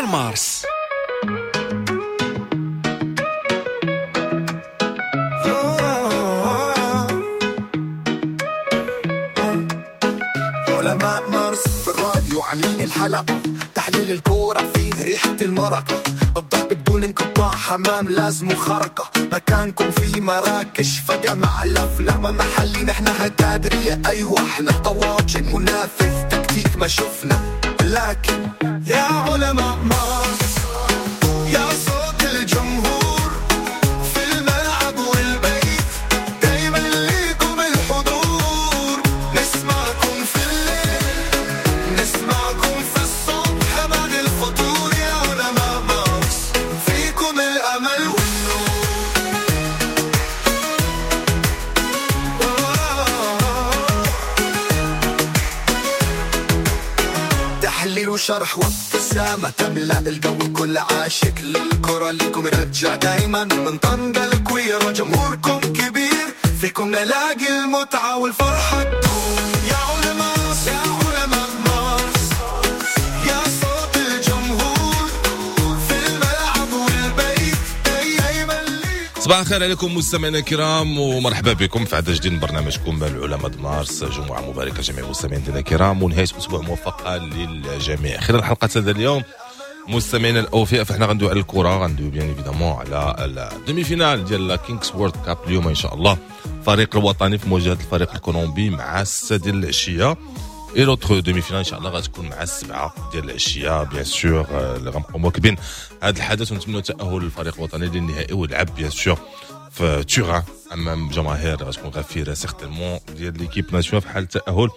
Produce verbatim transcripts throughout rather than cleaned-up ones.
ديال مارس. علماء مارس في الراديو عاملين الحلقة، تحليل الكورة فيه ريحة المرقة، الضحك بدون انقطاع، حمام لازم خرقة، مكانكم في مراكش فجأة مع الأفلام محلي، نحنا هتادرية أيوة احنا طواجن، منافس تكتيك ما شفنا، لكن يا علماء مارس يا صوت الجمهور في الملعب والبيت، دايما ليكم الحضور، نسمعكم في الليل نسمعكم في الصبح بعد الفطور، يا علماء مارس فيكم الأمل والنور. تحليل وشرح وابتسامة تملأ الجو، كل عاشق للكرة ليكم رجع دايما، من طنجة الكويرة جمهوركم كبير، فيكم نلاقي المتعة والفرحة تدوم، يا علماء يا علماء مارس يا صوت الجمهور في الملعب والبيت، دايما ليكم. صباح الخير عليكم مستمعينا الكرام، ومرحبا بكم في عدد جديد من برنامجكم العلماء مارس. جمعة مباركة جميع المستمعين الكرام، ونهاية أسبوع موفقة للجميع. خلال حلقة هذا اليوم مستمعينا الأوفياء، فاحنا غندوي على الكرة، غندوي bien évidemment على ال demi-finale ديال Kings World Cup اليوم إن شاء الله، الفريق الوطني في مواجهة الفريق الكولومبي مع الستة ديال العشية، et l'autre demi-finale ان شاء الله غتكون مع السبعة ديال العشية. bien sûr اللي غنبقاو مواكبين هذا الحدث، ونتمنوا تاهل الفريق الوطني للنهائي ويلعب bien sûr في Turin امام جماهير غتكون غفيره certainement ديال l'équipe nationale في حال التاهل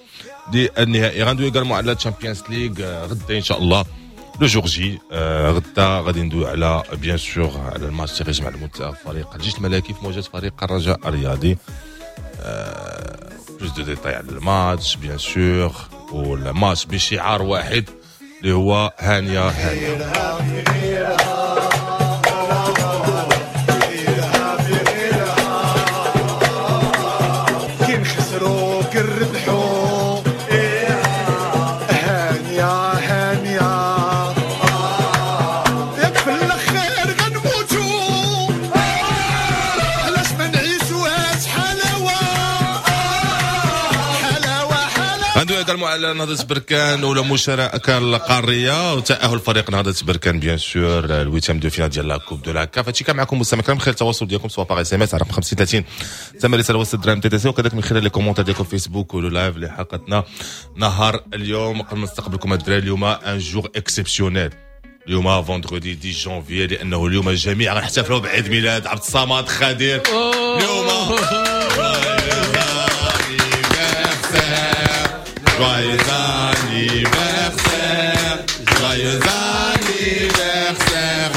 للنهائي. غندوي également على Champions League غدا ان شاء الله le jour J. غدا غادي ندوي على bien sûr على الماتش اللي غيجمع المنتخب فريق الجيش الملكي في مواجهة فريق الرجاء الرياضي. plus de détails على الماتش bien sûr، والماتش بشعار واحد اللي هو هانيه هانيه. كي نخسروا كي نربحوا هانيه هانيه، ياك في الاخير غنموتوا، علاش ما نعيشوهاش حلاوة حلاوة حلاوة. غندوي également على نهضة بركان ولا مشاركة القارية وتأهل فريق نهضة بركان bien sûr ال huitième de finale ديال la Coupe de la CAF. هادشي كان معكم مستمعينا الكرام، من خلال التواصل ديالكم سواء par SMS على رقم خمسين ثلاثين ثمن رسالة وسط درهم TTC، وكذلك من خلال les commentaires ديالكم في فيسبوك و le live اللي حلقتنا نهار اليوم. قبل ما نستقبلكم الدراري، اليوم un jour exceptionnel، اليوم vendredi عشرة جانفي، لانه اليوم الجميع غنحتفلوا بعيد ميلاد عبد الصمد خدير. اليوم Joyeux anniversaire, joyeux anniversaire,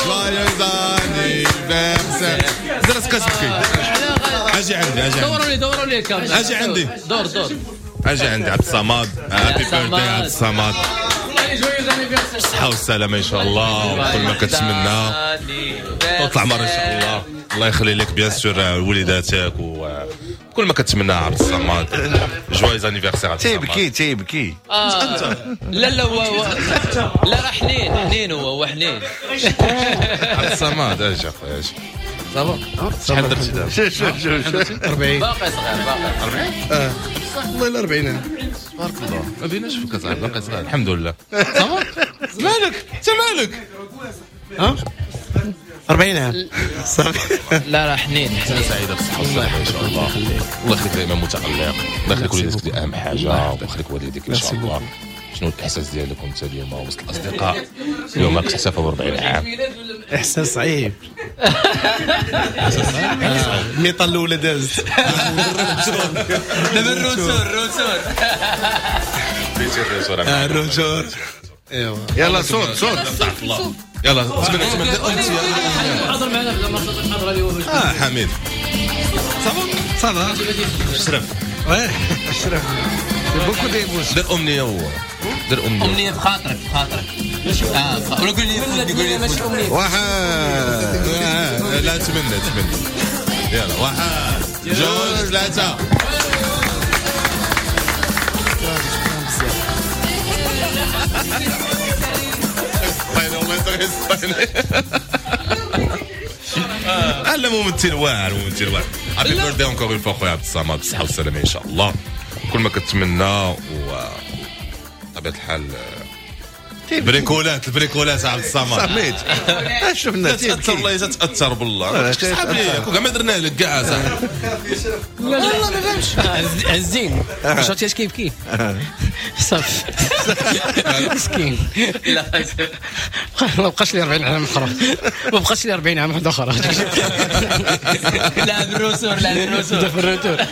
joyeux anniversaire. درس كتبكي. اجي عندي اجي عندي دوروا لي دوروا لي الكاميرا. اجي عندي. دور دور اجي عندي عبد الصمد. happy birthday عبد الصمد، joyeux anniversaire. الصحة والسلامة إن شاء الله، وكل ما كتمنى وطلع مرة إن شاء الله. الله يخلي لك bien sûr وليداتك وكل ما كتمنى عبد الصمد. joyeux anniversaire عبد الصمد. تيبكي تيبكي. آه. لا لا هو هو لا راه حنين حنين، هو هو حنين. عبد الصمد اجي اخويا اجي. ça va شحال درتي دابا؟ شوف شوف شوف شوف أربعين. باقي صغير باقي. أربعين؟ اه والله الا أربعين عام. تبارك الله، ما بيناش فيك صاحبي، باقي صغير الحمد لله. ça va مالك انت مالك؟ ها أربعين عام صافي. لا راه حنين. سنة سعيدة بالصحة والسلامة إن شاء الله. الله يخليك دائما متألق، الله يخليك وليداتك دي أهم حاجة، ويخليك والديك إن شاء الله. شنو الإحساس ديالك وأنت اليوم وسط الأصدقاء؟ اليوم كتحتفل ب أربعين عام. احساس صعيب. الميطه الاولى دازت. دابا ال retour ال retour. بيتي ال retour. آه، ال retour ايوا. يلا صوت صوت. الله يلا تمنى تمنى انت حاضر معنا في المرة اليوم. اه حميد ça va ça va شرف oui شرف beaucoup d'émotions. دير امنية هو دير امنية. امنية في خاطرك في خاطرك. اه ولا قول لي قول لي ماشي امنية. واحد آه، لا تمنى تمنى يلا واحد جوج ثلاثة. غيسطيني والله انت غيسطيني. لا ممثل واعر، ممثل واعر. happy birthday encore une fois خويا عبد الصمد، بالصحة والسلامة ان شاء الله، كل ما كتمنى. و بطبيعة الحال بريكولات البريكولات عبد الصمد. سميت شفنا. تاثر والله، تاثر بالله. صحاب لي كون كاع ما درنا لك كاع صاحبي. لا لا ما فهمش عزين، شفتي اش كيبكي صافي مسكين. لا ما بقاش لي أربعين عام اخرى، ما بقاش لي أربعين عام واحدة اخرى. لا بال retour، لا بال retour، بال retour.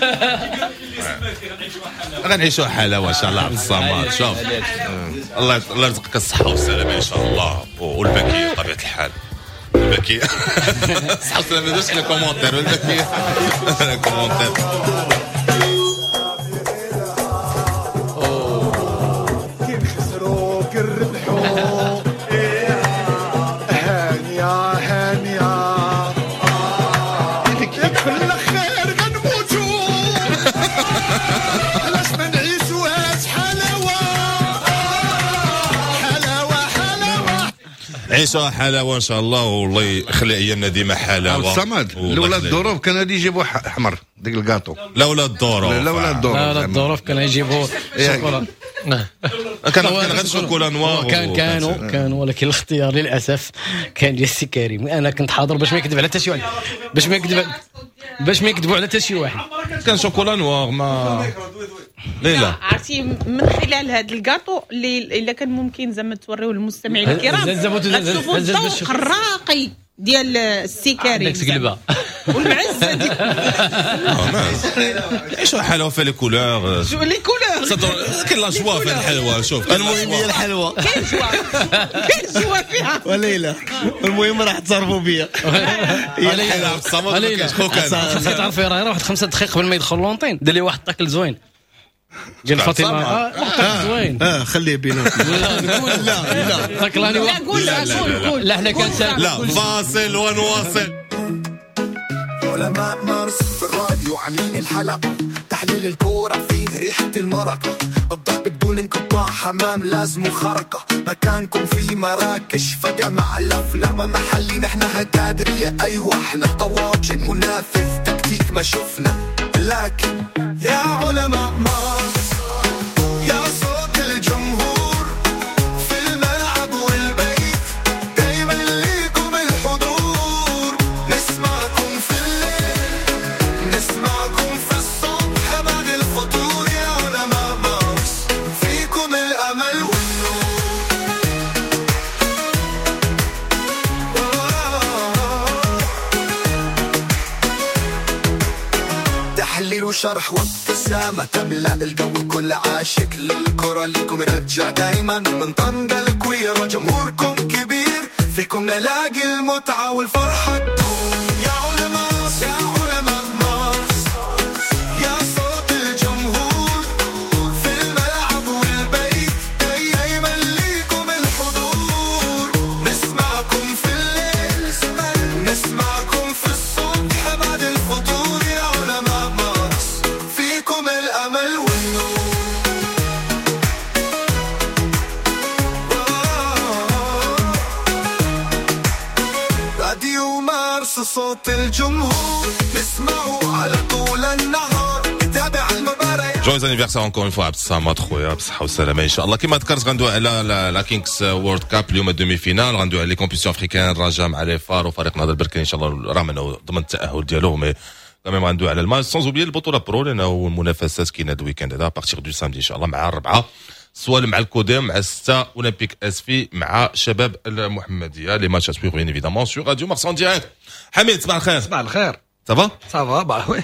غنعيشوا حلاوة ان شاء الله. عبد الصمد شوف الله الله يرزقك الصحة والسلامة ان شاء الله، والبكيه بطبيعة الحال البكيه الصحة والسلامه. ما درتش les commentaires البكيه commentaire. كي خسروا كي ربحوا هانيه هانيه في الاخير غنموتوا، علاش ما نعيشوهاش حلاوة حلاوة حلاوة. عيشوها حلاوة ان شاء الله، والله يخلي ايامنا ديما حلاوة. الصمد لولا الظروف كانوا غادي يجيبوا احمر ديك الكاطو. لولا الظروف، لولا الظروف، لولا الظروف كانوا يجيبوا شوكولا. كان غير chocolat noir. كان كانوا كانوا ولكن الاختيار للاسف كان ديال السي كريم. انا كنت حاضر باش ما يكذب على حتى شي واحد، باش ما يكذب باش ما يكذبوا على حتى شي واحد. كان chocolat noir ما ليلى. عرفتي من خلال هذا الكاطو اللي الا كان ممكن زعما توريوه للمستمعين الكرام، غتشوفوا الذوق الراقي ديال السي كريم عندك قلبه والمعزه ديال عيشوا حلاوة في les couleurs، les couleurs كاين la joie في الحلوة. شوف المهم هي الحلوة، كاين joie، كاين joie فيها وليلى. المهم راح تصرفوا بيا هي الحلوة. عبد الصمد ما كاينش خوك. خاصك تعرفي راه واحد خمسة دقائق قبل ما يدخل l'antenne دار لي واحد ال tacle زوين ديال فاطمة. اه زوين اه خليه بيناتنا. لا لا لا تاكلاني. لا قول قول لا حنا كان لا فاصل ونواصل. علماء مارس في الراديو عاملين الحلقة، تحليل الكورة فيه ريحة المرقة، الضرب بدون انقطاع، حمام لازم خرقة، مكانكم في مراكش فجأة مع الأفلام محلي. نحن هكادرية أيوة احنا طواجن، منافذ تكتيك ما شفنا، لكن يا علماء مارس يا صوت الجمهور في الملعب والبيت، دايما ليكم الحضور، نسمعكم في الليل نسمعكم في الصبح بعد الفطور، يا علماء مارس فيكم الأمل والنور. تحليل وشرح وابتسامة تملأ الجو، كل عاشق للكرة لكم رجع دايما من طنجة الكويرة، جمهوركم كبير فيكم نلاقي المتعة والفرحة تدوم. يا علماء يا علماء مارس يا صوت الجمهور في الملعب والبيت، دايما ليكم الحضور، نسمعكم في الليل نسمعكم في الصبح بعد الفطور، يا علماء مارس فيكم الأمل والنور. راديو مارس صوت الجمهور، نسمعه على طول النهار، نتابع المباريات. joyeux anniversaire encore une fois عبد الصمد خويا، بالصحة والسلامة ان شاء الله. كما ذكرت غندوي على la Kings World Cup اليوم demi-finale، غندوي على les compétitions africaines، الرجاء مع les FAR وفريق نهضة البركان ان شاء الله راه منه ضمن التاهل ديالو، mais quand même غندوي على الماتش، sans oublier البطولة pro لانه المنافسات كاينه هذا ال week-end هذا à partir du samedi ان شاء الله مع الربعه سوالم مع الكوديم، مع ستة اولمبيك اسفي مع شباب المحمدية. les matchs à suivre bien évidemment sur Radio Mars en direct. حميد صباح الخير. صباح الخير. ça va؟ ça va bah oui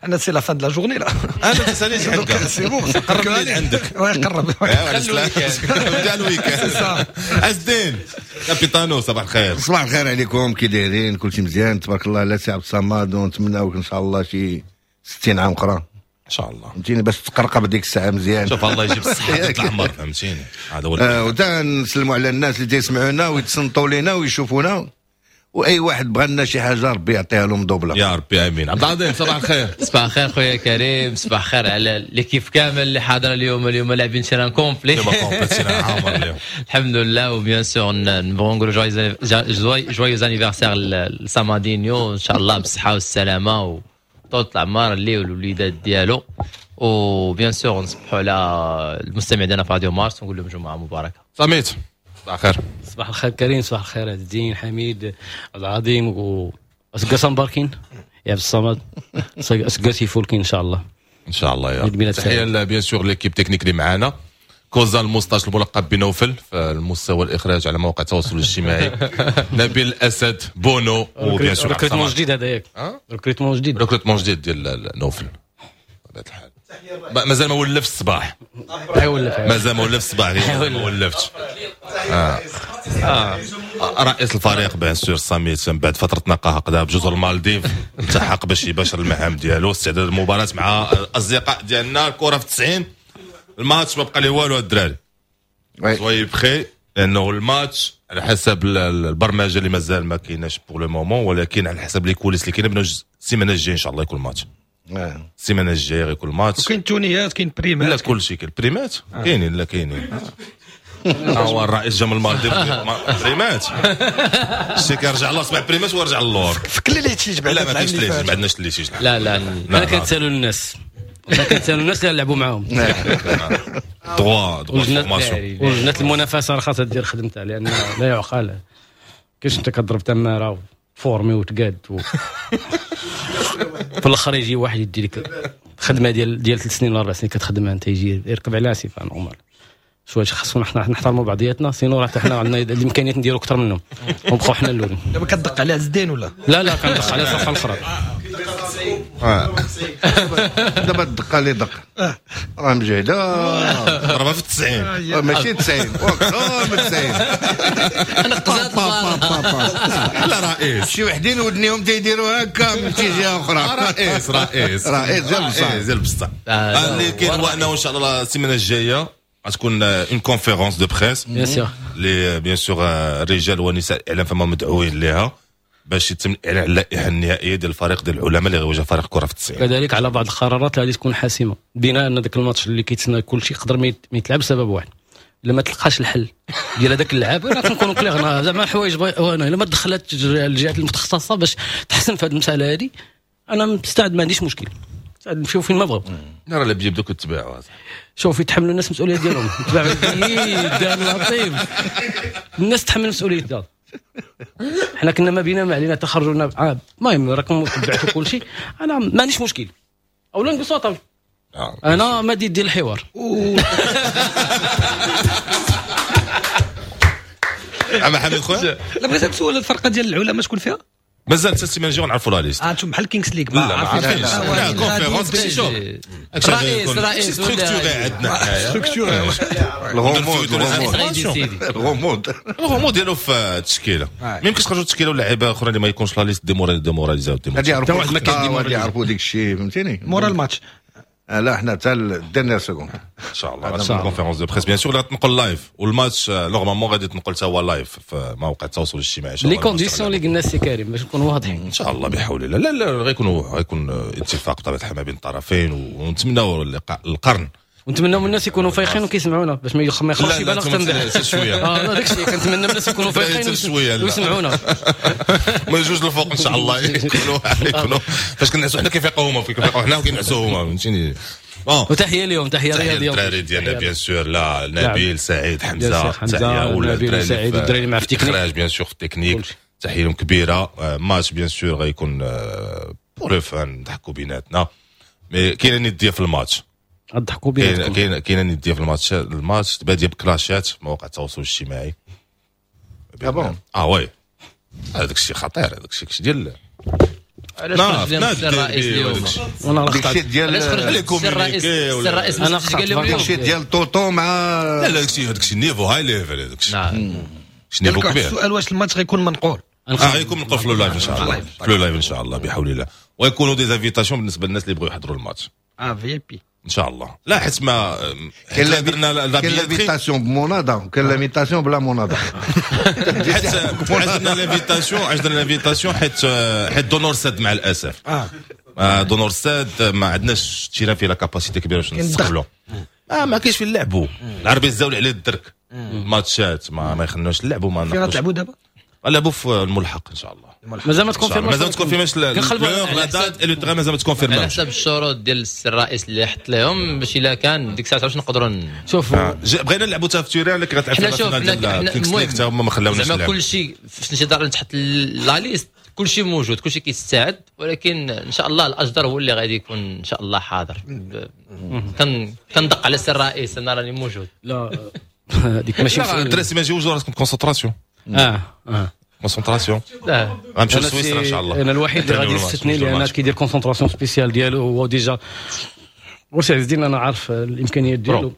انا c'est la fin de la journée là. انا تساليش حقا c'est bon. قرب لي عندك. قرب. بدا ال week-end. اسدين كابيتانو صباح الخير. صباح الخير عليكم، كي دايرين؟ كلشي مزيان تبارك الله على سي عبد الصمد، ونتمناوك ان شاء الله شي ستين عام اخرى ان شاء الله، فهمتيني، باش تقرقب ديك الساعة مزيان. شوف الله يجيب الصحة العمر، فهمتيني، هذا هو. آه وتا نسلموا على الناس اللي تيسمعونا ويتصنتوا لينا ويشوفونا، واي واحد بغى لنا شي حاجة ربي يعطيها له مدوبله يا ربي امين. عبد العظيم صباح الخير. صباح الخير خويا كريم، صباح الخير على l'équipe كامل اللي حاضره اليوم. اليوم لاعبين terrain complet، الحمد لله. و bien sûr نبغوا نقولوا joyeux anniversaire لسامادينيو، ان شاء الله بالصحة والسلامة وطول العمر اللي والوليدات ديالو. و bien sûr نصبحوا على المستمع ديالنا في راديو مارس ونقول لهم جمعه مباركة. سميت صباح الخير. صباح الخير كريم، صباح الخير عز الدين، حميد، عبد العظيم و اسقاس مباركين يا عبد الصمد، اسقاس يفولكين ان شاء الله. ان شاء الله يا رب. تحية bien sûr l'équipe technique اللي معانا، كوزا الموستاش الملقب بنوفل في المستوى الاخراج على مواقع التواصل الاجتماعي، نبيل الاسد بونو، و bien sûr recrutement جديد هذا ياك، recrutement جديد، recrutement جديد ديال نوفل بطبيعة الحال. مازال ما ولفش الصباح، مازال ما ولفش الصباح، ما ولفتش. آه. آه. رئيس الفريق bien sûr ساميت من بعد فترة نقاهه قدا بجزر المالديف التحق باش يباشر المهام ديالو، استعداد المباراة مع الاصدقاء ديالنا. الكره في تسعين، الماتش ما بقى ليه والو الدراري، soyez prêts، لانه الماتش على حسب البرمجة اللي مازال ما كايناش pour le moment، ولكن على حسب les coulisses اللي كاينه السيمانة الجاية ان شاء الله يكون الماتش. السيمانة الجاية غيكون الماتش. وكاين تونيات، كاين بريمات، لا كلشي كاين بريمات، كاينين لا كاينين. هو الرئيس جا من المالديف بريمات، شي كيرجع الله سبع بريمات ويرجع للور. فك les litiges بعدا. لا ما كاينش litiges، ما عندناش litiges. لا لا انا كنتسالوا الناس، انا كنتسالوا الناس اللي لعبوا معاهم droit droit formation. ولجنه المنافسة راه خاصها دير خدمتها، لان لا يعقل كيفاش انت كضرب تماره formé وتقاد و... في الاخر يجي واحد يدي لك خدمة ديال ديال ثلاث سنين ولا اربع سنين كتخدمها انت، يجي يركب عليها c'est pas normal. شوية خاصنا حنا نحترموا بعضياتنا، sinon راه حتى حنا عندنا الامكانيات نديروا اكثر منهم ونبقاو حنا الاولين. دابا كتدق على عز الدين ولا؟ لا لا كندق على الصفحة الاخرى. دابا الدقة اللي دق راه مجهده، ضربها في التسعين، ماشي تسعين واكثر من تسعين. لا رئيس شي وحدين ودنيهم تيديروا هكا من جهة اخرى. رئيس رئيس رئيس ديال بصح، ديال بصح. اللي كاين هو انه ان شاء الله السيمانة الجاية غتكون une conférence de presse bien sûr اللي bien sûr الرجال والنساء الاعلام فما مدعوين ليها باش يتم الاعلان على اللائحة النهائية ديال الفريق ديال العلماء اللي غيواجه فريق كره في التسعين. كذلك على بعض القرارات اللي غادي تكون حاسمة، بناء ان ذاك الماتش اللي كيتسنى كل شيء يقدر ما يتلعب بسبب واحد، لما تلقاش الحل ديال هذاك اللعاب. راه كنكونوا clairs زعما حوايج انا لما دخلت الجهات المتخصصة باش تحسن في هذه المسالة هذه، انا مستعد ما عنديش مشكل، مستعد نمشيو فين ما بغاو. راه اللي بيجيب دوك التباعوا، شوف يتحملوا الناس المسؤولية ديالهم، تباعوا الدار الناس تحمل المسؤولية ديالها. حنا كنا ما بينا ما علينا تخرجنا، المهم راكم تبعتوا كل شيء، انا ما عنديش مشكل. اولا نقصوا طب انا ما دير ديال الحوار. عم حميد خويا لا بغيت نسول الفرقة ديال العلماء شكون فيها؟ مازال حتى السيمانة الجاية نعرفوا la liste. اه انتم بحال كينغز ليغ ما عارفينش. لا conférence كلشي شوف رئيس رئيس structuré عندنا structuré الغموض الغموض الغموض ديالو في التشكيلة. ما يمكنش تخرجوا التشكيلة ولا لعيبة اخرى اللي ما يكونش la liste démoralisés. غادي يعرفوا غادي يعرفوا ديك الشيء فهمتيني مورا الماتش. لا حنا حتى ال dernière seconde ان شاء الله غتكون conférence de presse bien sûr اللي غتنقل live، والماتش normalement غادي تنقل حتى هو live في مواقع التواصل الاجتماعي. les conditions اللي قلنا سي كريم باش نكونوا واضحين ان شاء الله بحول الله. لا لا غيكونوا غيكون اتفاق بطبيعة الحال ما بين الطرفين، ونتمناو اللقاء القرن، ونتمناو من الناس يكونوا فايقين وكيسمعونا باش ما يخرجش بالغ تنبح شوية. اه لا داكشي كنتمنى من الناس يكونوا فايقين ويسمعونا من جوج الفوق ان شاء الله يكونوا يكونوا فاش كنعسوا حنا كيفيقوا هما، كيفيقوا حنا وكينعسوا هما فهمتيني. وتحية لهم، تحية رياضية الدراري ديالنا bien sûr، لا نبيل سعيد حمزة، تحية نبيل سعيد والدراري مع في التكنيك bien sûr في التكنيك، تحية لهم كبيرة. match bien sûr غيكون pour le fun، نضحكوا بيناتنا، mais كاينه نديه في الماتش غضحكوا بيناتكم. كاين كاينه نديه في الماتش، الماتش باديه بكلاشات مواقع التواصل الاجتماعي. اه اه oui هذاك الشيء خطير، هذاك الشيء ديال علاش خرج لهم الرئيس اليوم؟ وانا راه داكشي ديال الرئيس الرئيس انا قال لهم داكشي ديال طوطو مع لا لا داكشي داكشي niveau high level، هذاك الشيء niveau كبير. السؤال واش الماتش غيكون منقول؟ اه غيكون منقول في le live ان شاء الله، في le live ان شاء الله بحول الله، ويكونوا des invitations بالنسبة للناس اللي بغاو يحضروا الماتش. اه VIP. ان شاء الله. لا حيت ما كاين درنا كاين l'invitation بمونادا وكاين l'invitation بلا مونادا. حيت عندنا l'invitation عندنا l'invitation حيت حيت دونور سد مع الاسف. اه دونور سد ما عندناش terrain فيه la capacité كبيرة باش نستقبلوا. اه ما كاينش فين نلعبوا. العربي الزاولي عليه الدرك الماتشات ما ما يخلوناش نلعبوا. ما فين غتلعبوا دابا؟ نلعبوا في الملحق ان شاء الله. مازال ما تكونفيرماش، مازال ما تكونفيرماش la date le terrain مازال ما تكونفيرماش. على حسب الشروط ديال الرئيس اللي حط لهم باش الا كان ديك الساعة باش نقدروا شوف. بغينا نلعبوا حتى في terrain لكن غتلعب في ال finale ديال Kings League حتى هما ما خلاوناش زعما كلشي في انتظار تحط la liste كلشي موجود كلشي كيستعد، ولكن ان شاء الله الاجدر هو اللي غادي يكون ان شاء الله حاضر. كندق على السي الرئيس انا راني موجود. لا هذيك ماشي الدراري ما يجيوش راسكم concentration. اه اه concentration غنمشيو لسويسرا ان شاء الله. انا الوحيد اللي غادي يستثني لان كيدير concentration spéciale ديالو هو déjà. واش عز الدين انا عارف الامكانيات ديالو.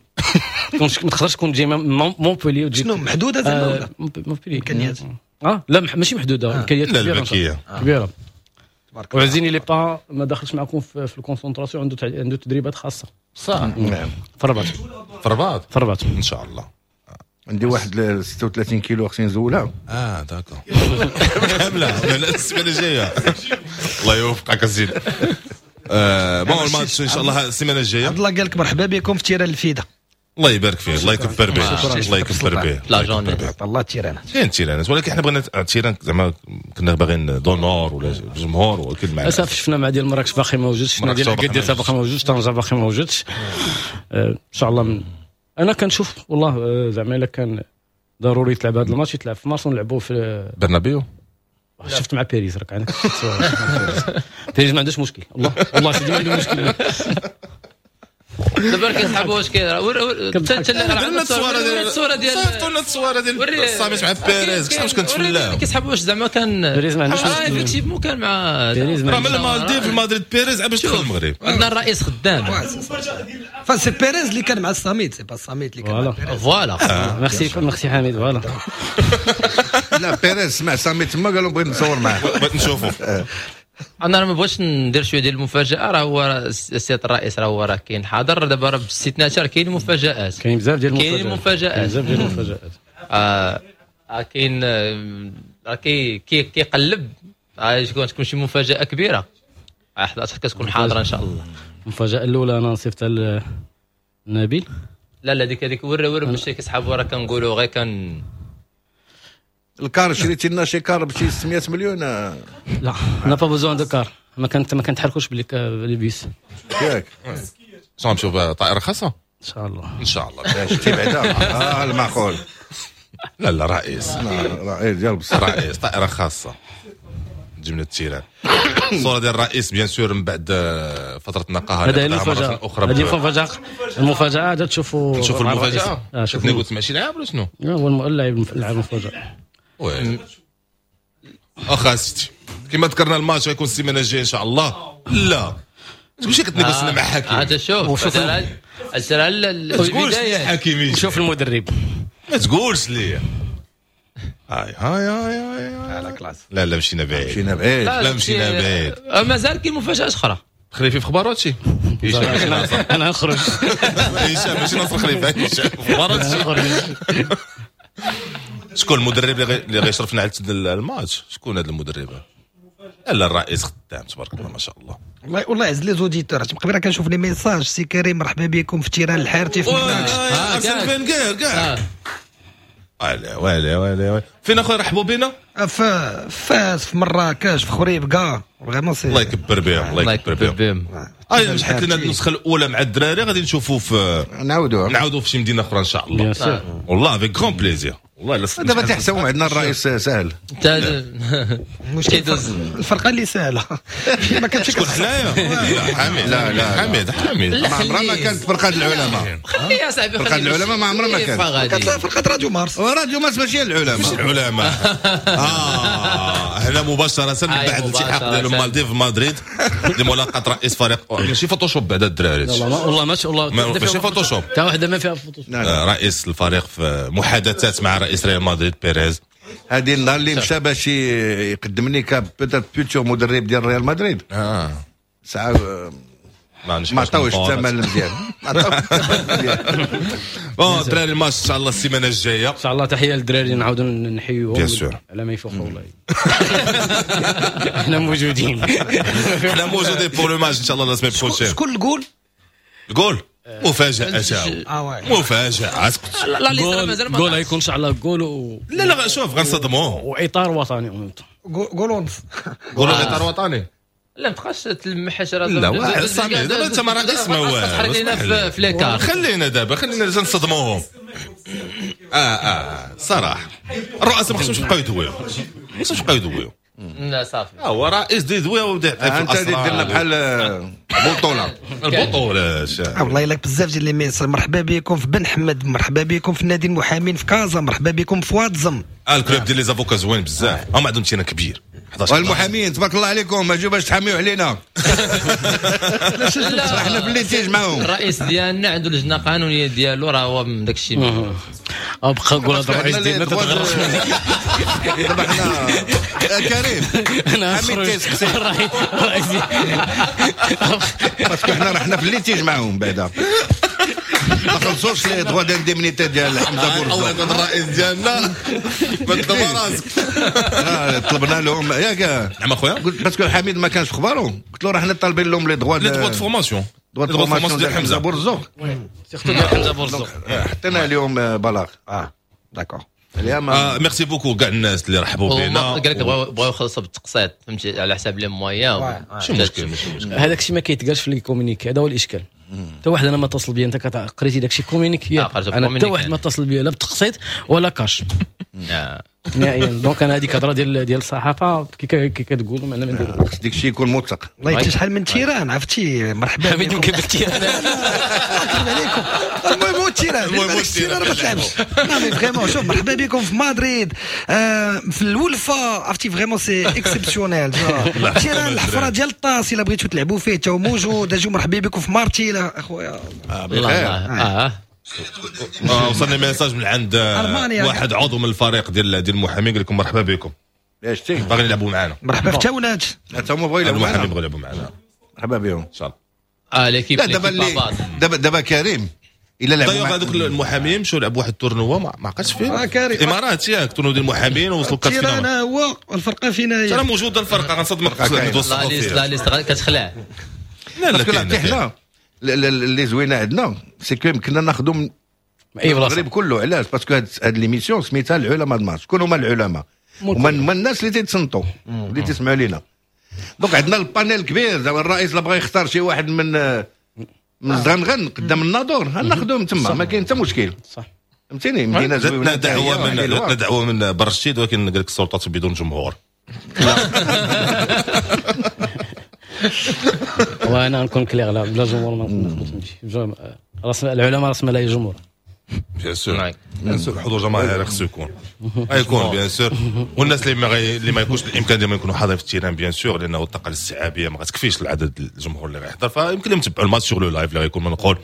ما تقدرش تكون تجي مونبولي وتجي شنو محدودة زعما ولا مونبولي امكانيات؟ اه لا ماشي محدودة، امكانيات كبيرة كبيرة. وعزيني لي با ما داخلش معكم في ال concentration، عنده عنده تدريبات خاصة صح. نعم في الرباط في الرباط في الرباط ان شاء الله. عندي واحد ستة وثلاثين كيلو خصني نزولها. اه d'accord كاملة السيمانة الجاية. الله يوفقك الزين. آه bon الماتش ان شاء الله السيمانة الجاية. عبد الله قال لك مرحبا بكم في terrain الفيده. الله يبارك فيه، الله يكبر به، الله يكبر به. la journée الله terrain كاين terrain، ولكن حنا بغينا terrain زعما كنا باغيين d'honneur ولا الجمهور، ولكن مع للاسف شفنا مع ديال مراكش باقي موجود، شفنا ديال اكادير باقي موجود، طنجه باقي موجودش. ان شاء الله انا كنشوف والله زعما الا كان ضروري تلعب هذا الماتش يتلعب في مارس ونلعبوه في برنابيو. شفت مع باريس راك عندك باريس ما عندوش مشكل. والله والله سيدي ما عنده مشكل. دابا كيسحبوا واش كاين درنا التصويره ديال الصورة ديال صيفطوا لنا التصويره ديال الصامت مع بيريز كيفاش كنتفلاو كيسحبوا واش زعما كان بيريز ما عندوش مشكل effectivement كان مع بيريز راه من المالديف المدريد بيريز باش دخل المغرب. عندنا الرئيس خدام ف c'est بيريز اللي كان مع الصامت، c'est pas الصامت اللي كان مع بيريز. voilà merci merci حميد. voilà لا بيريز سمع صامت تما قالوا بغيت نصور معاه بغيت نشوفو. انا ما بغيتش ندير شوية ديال المفاجاة، راه هو السيد الرئيس راه هو راه كاين حاضر دابا، راه باستثناء راه كاين مفاجات، كاين بزاف ديال المفاجات، كاين المفاجات بزاف ديال المفاجات. اه كاين راه كي كيقلب تكون تكون شي مفاجاة كبيرة حتى كتكون حاضره ان شاء الله. المفاجاة الاولى انا نصيفطها لنبيل. لا لا ديك هذيك ورا ورا باش كيسحبوا راه كنقولوا غير كان ال car شريتي لنا شي car بشي ستمية مليون. لا n'a pas besoin de car، ما كانت ما كنتحركوش ب les bus ياك. شنو نمشيو بطائره خاصة ان شاء الله. ان شاء الله شتي بعدا اه المعقول. لا لا رئيس رئيس ديال بصح رئيس طائره خاصة تجي من ال terrain. الصورة ديال الرئيس bien sûr من بعد فترة النقاهه. هذه المفاجاة، هذه المفاجاة، المفاجاة هذا تشوفوا نشوفوا المفاجاة. شوفوا قلت ماشي لاعب ولا شنو؟ هو اللاعب اللاعب المفاجاة. oui اخا سيتي كما ذكرنا الماتش غيكون السيمانة الجاية ان شاء الله. لا تقولش كتنيغوسينا مع حكيم. هذا شوف البداية حكيمي شوف المدرب ما تقولش لي هاي هاي هاي هاي على classe. لا لا مشينا بعيد، مشينا بعيد، لا مشينا بعيد. مازال كاين مفاجات اخرى. خليفي في اخبار هادشي انا نخرج هشام ماشي ناصر خليفة، هشام في اخبار هادشي. شكون المدرب اللي غيشرفنا على الماتش؟ شكون هذا المدرب؟ لا الرئيس خدام تبارك الله ما شاء الله. والله والله يعز les auditeurs. قبل كنشوف les messages سي كريم مرحبا بكم في terrain الحارتي في مراكش. ارسن فينغر كاع. ويلي ويلي ويلي فين اخويا رحبوا بنا؟ في فاس، في مراكش، في خريبكا. vraiment c'est الله يكبر بهم، الله يكبر بهم. اي نجحت لنا النسخة الاولى مع الدراري، غادي نشوفوا في نعاودوها نعاودوا في شي مدينة اخرى ان شاء الله. والله avec grand plaisir. والله لا دابا تحسبوا عندنا الرئيس ساهل. المشكل الفرقة اللي ساهله ما كانتش شكون حنايا. لا حميد، لا لا حميد حميد ما عمرها ما كانت فرقه العلماء. خلي يا صاحبي فرقه العلماء ما عمرها ما كانت. كانت فرقه راديو مارس. راديو مارس ماشي العلماء، ماشي العلماء. اه هنا مباشرة من بعد الالتحاق ديال المالديف مدريد لملاقاه رئيس فريق ماشي Photoshop بعدا الدراري. والله والله ماشي والله ماشي Photoshop، حتى وحده ما فيها Photoshop. رئيس الفريق في محادثات مع رئيس ريال مدريد بيريز. هذه النهار اللي مشى باش يقدمني ك peut-être futur مدرب ديال ريال مدريد. اه ساعة ما عطاوش الثمن المزيان، ما عطاوش الثمن المزيان. bon الدراري الماتش ان شاء الله السيمانة الجاية ان شاء الله. تحية للدراري نعاودوا نحيوهم على ما يفوقوا والله. احنا موجودين، احنا موجودين pour le match ان شاء الله la semaine prochaine. شكون ال goal؟ ال goal مفاجأة تاعو، مفاجأة. اسكت. لا لا جول غيكون ان شاء الله جول و... لا لا شوف غنصدموه واطار وطني. جول ونص. جول اطار وطني. لا ما تبقاش تلمح راه. لا صامي دابا انت ما رئيس ما والو، تحرق لينا في les quarts. خلينا دابا خلينا نصدموهم. اه اه صراحة الرؤساء ما خصهمش يبقاو يدويو، ما خصهمش يبقاو يدويو. لا صافي هو رئيس دي دويه وبدا يعطي في انت اللي دير لنا بحال بطوله البطولة. والله الا بزاف ديال les messages. مرحبا بكم في بن حمد، مرحبا بكم في نادي المحامين في كازا، مرحبا بكم في وادزم. ال club ديال les avocats زوين بزاف، هما عندهم terrain كبير. والمحامين تبارك الله عليكم، اجوا باش تحاميو علينا. حنا في litige معاهم. الرئيس ديالنا عنده لجنة قانونية ديالو، راه هو من داك الشيء. ابقى قول هذا الرئيس ديالنا تتغرق. دابا حنا كريم انا الرئيس parce que حنا رحنا في litige معاهم بعدا ما خلصوش les droits d'indemnité ديال حمزة بورزوق. هذا الرئيس ديالنا ما تدبر راسك. طلبنا لهم ياك. نعم اخويا، قلت parce que حميد ما كانش في خبارو، قلت له راه حنا طالبين لهم les droits les droits de formation، droits de formation ديال حمزة بورزوق، surtout ديال حمزة بورزوق. حطينا اليوم بلاغ. اه d'accord. merci beaucoup كاع الناس اللي رحبوا بينا. قال لك بغاو يخلصوا بالتقسيط، فهمتي، على حساب les moyens. ماشي مشكل ماشي مشكل. هذاك الشيء ما كيتقالش في les communiqués، هذا هو الاشكال. حتى واحد انا ما اتصل بيا، انت قريتي داك الشيء communiqué، انا حتى واحد ما اتصل بيا لا بالتقسيط ولا كاش نهائيا. donc انا هذيك هضره ديال ديال الصحافة كي كتقولوا انا ما ندير خص داك الشيء يكون موثق. والله حتى شحال من terrain عرفتي. مرحبا بكم. يمكن بال terrain عليكم. المهم هو ال terrain، المهم ال terrain ما تلعبش. لا mais vraiment شوف، مرحبا بكم في مدريد، في الولفه، عرفتي vraiment c'est exceptionnel. terrain الحفرة ديال الطاس الا بغيتو تلعبوا فيه تا هو موجود. اجيو مرحبا بكم في مارتيل اخويا. اه وصلني message من عند واحد عضو من الفريق ديال ديال المحامين، قال لكم مرحبا بكم. شتي باغيين يلعبوا معنا. مرحبا في تاونات، حتى هما بغاو يلعبوا معنا. المحامين بغاو يلعبوا معنا، مرحبا بهم ان شاء الله. اه l'équipe دابا دابا دابا كريم الا لعبوا مع هذوك المحامين مشاو لعبوا واحد ال tournoi ما عقلتش فين، الامارات ياك، tournoi ديال المحامين وصلوا quart de finale. هو الفرقة فينا هي راه موجودة الفرقة، غنصدمك la liste كتخلع. لا لا حنا اللي زوينة عندنا c'est que يمكننا ناخذوا من اي بلاصة المغرب كله. علاش؟ parce que هاد l'émission سميتها العلماء الماتش. شكون هما العلماء؟ هما الناس اللي تيتصنتوا اللي تسمعوا لينا. donc عندنا ال panel كبير. زعما الرئيس لا بغى يختار شي واحد من من الزغنغن قدام الناظور ناخذوهم تما، ما كاين حتى مشكل. صح فهمتيني. مدينة زوينة. دعوه من جاتنا دعوه من برشيد، ولكن قال لك السلطات بدون جمهور. وانا نكون clair، لا بلا جمهور ما نقدرش نمشي. راس العلماء راس مال جمهور. bien sûr bien sûr الحضور الجماهيري خصو يكون، غيكون bien sûr. والناس اللي ما غي... اللي ما يكونش الامكان ديالهم يكونوا حاضرين في ال terrain bien sûr، لانه الطاقة الاستيعابيه ما غتكفيش العدد الجمهور اللي غيحضر، فيمكن لهم يتبعوا الماتش sur le live اللي غيكون منقول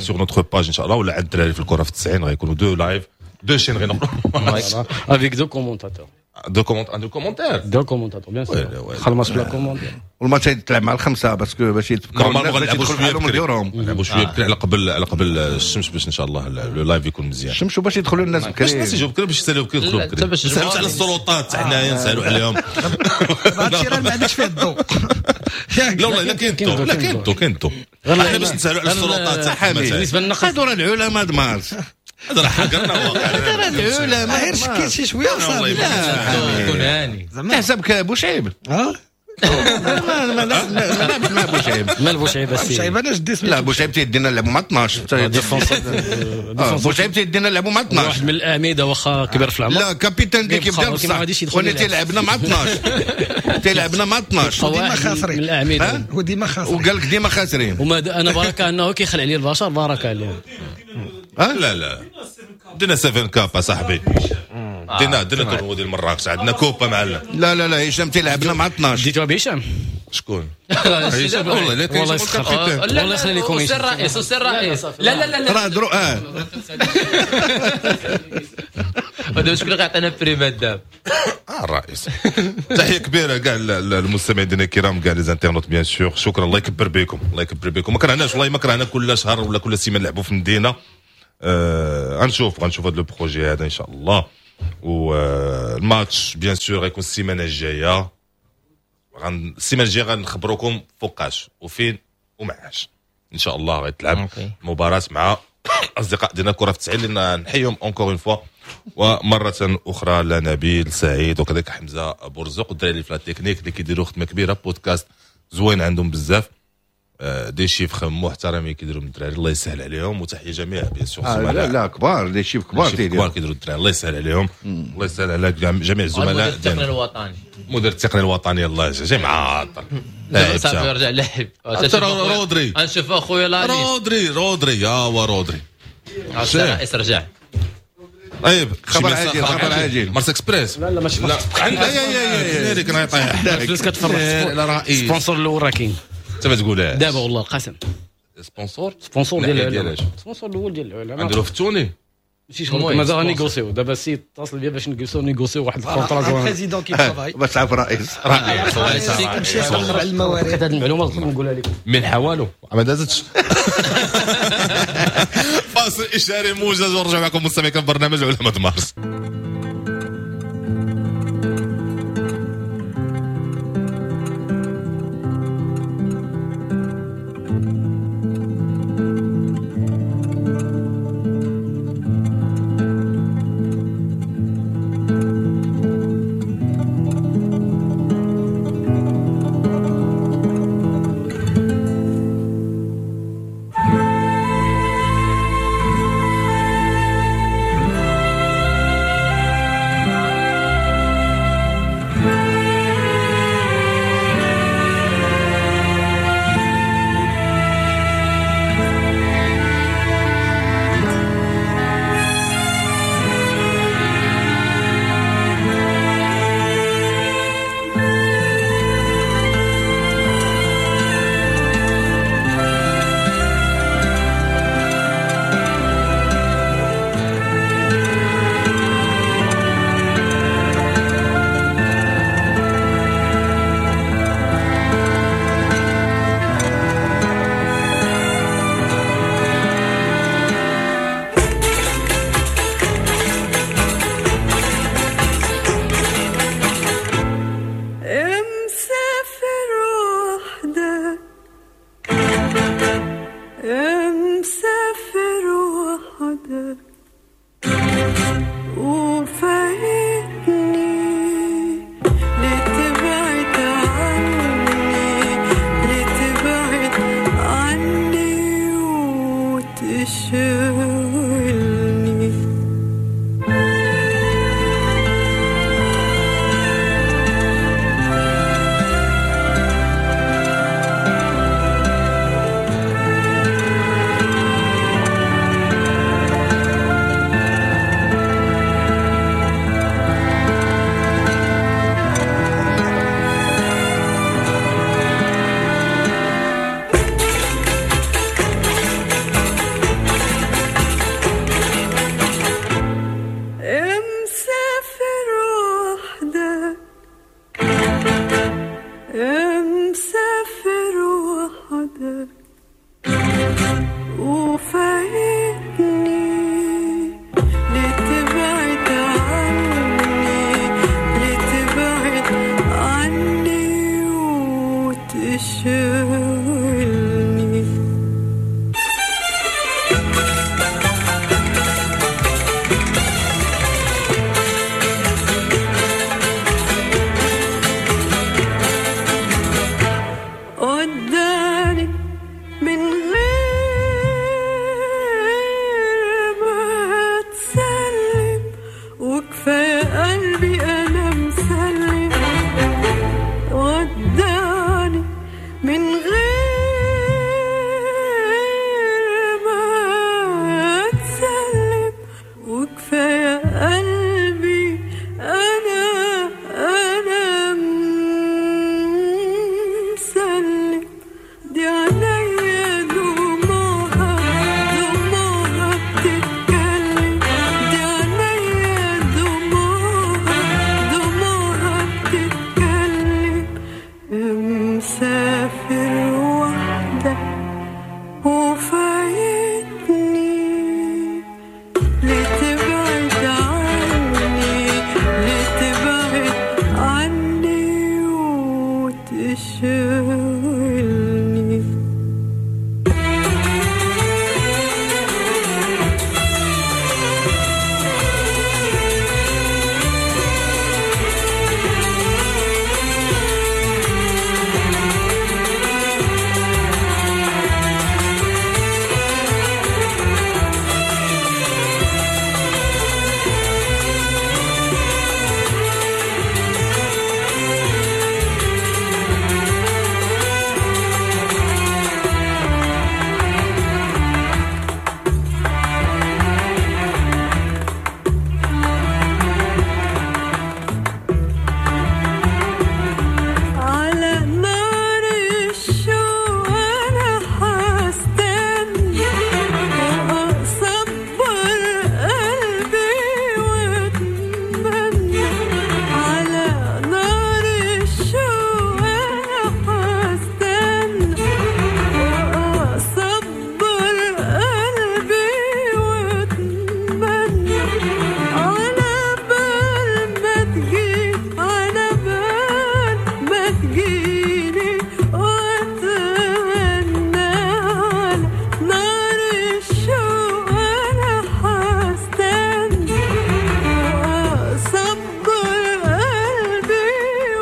sur notre page ان شاء الله، ولا عند الدراري في الكره في التسعين غيكونوا deux lives deux chaînes غينقلوا avec deux commentateurs. deux comment deux commentaires deux commentateurs bien sûr. خلص بلا commentaire. والماتش يتلعب مع الخمسة parce que باش يتفكروا الناس باش يدخلوا بحالهم لديورهم. نلعبوا شوية بكري على قبل على قبل الشمس باش ان شاء الله le live يكون مزيان. الشمس وباش يدخلوا الناس بكري، باش الناس يجوا بكري، باش يسالوا بكري يدخلوا بكري. نسالوا على السلطات حنايا نسالوا عليهم. هادشي راه ما عندكش فيه الضوء. لا والله لا كاين الضوء، لا كاين الضوء، كاين الضوء. حنا باش نسالوا على السلطات. بالنسبة للنقل هادو راه العلماء د مارس، هذا راه حقرنا واقع. راه العلماء غير شكيت شي شوية وصافي. كون هاني تحسبك بوشعيب. اه ما ما لعبش مع بوشعيب. مال بوشعيب السي؟ بوشعيب انا جدي لا بوشعيب تيدينا نلعبوا مع اثناش. بوشعيب تيدينا نلعبوا مع اثناش. واحد من الاعمدة واخا كبر في العمر. لا capitaine d'équipe ديال بصح، وانا تيلعبنا مع اثناش، تيلعبنا مع اثناش وديما خاسرين. من الاعمدة وديما خاسرين، وقال لك ديما خاسرين. وما انا بركة انه كيخلع عليه البشر، بركة عليه. لا لا دينا سبعة كاب صاحبي، دينا دينا tournoi ديال مراكش، عندنا coupe معلم. لا لا لا هشام تيلعبنا مع اثناش. ديتوها بهشام؟ شكون؟ هشام والله لا كاين والله يخلي لكم هشام الرئيس، السي الرئيس. لا لا لا راه درو اه ودابا شكون اللي غيعطينا prime دابا؟ اه الرئيس. تحية كبيرة كاع المستمعين ديالنا الكرام، كاع les internautes bien sûr، شكرا، الله يكبر بكم، الله يكبر بكم. ما كرهناش والله، ما كرهنا كل شهر ولا كل سيمانه نلعبوا في المدينة. آه غنشوف غنشوف هذا le projet هذا ان شاء الله. والماتش bien sûr غيكون السيمانة الجاية، غن السيمانة الجاية غنخبروكم فوقاش وفين ومعاش ان شاء الله غيتلعب مباراة مع اصدقاء ديالنا كره في التسعين اللي نحيهم encore une fois ومرة اخرى، لا نبيل سعيد وكذلك حمزة بورزق والدراري اللي في la technique اللي كيديروا خدمة كبيره، بودكاست زوين عندهم بزاف، des chiffres محترمين كيديروا من الدراري، الله يسهل عليهم. وتحية جميع bien sûr. آه لا لا كبار، des chiffres كبار، كبار كيديروا الدراري، الله يسهل عليهم، الله يسهل على جميع الزملاء. المدير التقني الوطني، المدير التقني الوطني الله جاي معاطل. صافي رجع لعب رودري، غنشوف اخويا لا رودري رودري يا هو رودري الرئيس رجع. طيب خبر عاجل، خبر عاجل، مارس اكسبريس. لا لا ماشي لا عندنا يا يا كان غيطيح الفلوس كتفرح. sponsor الاول راه كاين، انت ما تقولهاش دابا والله القسم. sponsor sponsor ديال العلماء، sponsor الاول ديال العلماء نديرو في التوني ماشي شغل، مازال négocier دابا السيد اتصل بيا باش نجلسو négocier واحد ال contrat زوين. président qui travaille باش تعرف رئيس رئيس مشي على الموارد. هذه المعلومة نقولها لكم من حوالو ما دازتش. فاصل اشاري موجز ونرجع معكم مستمعين في برنامج علماء مارس.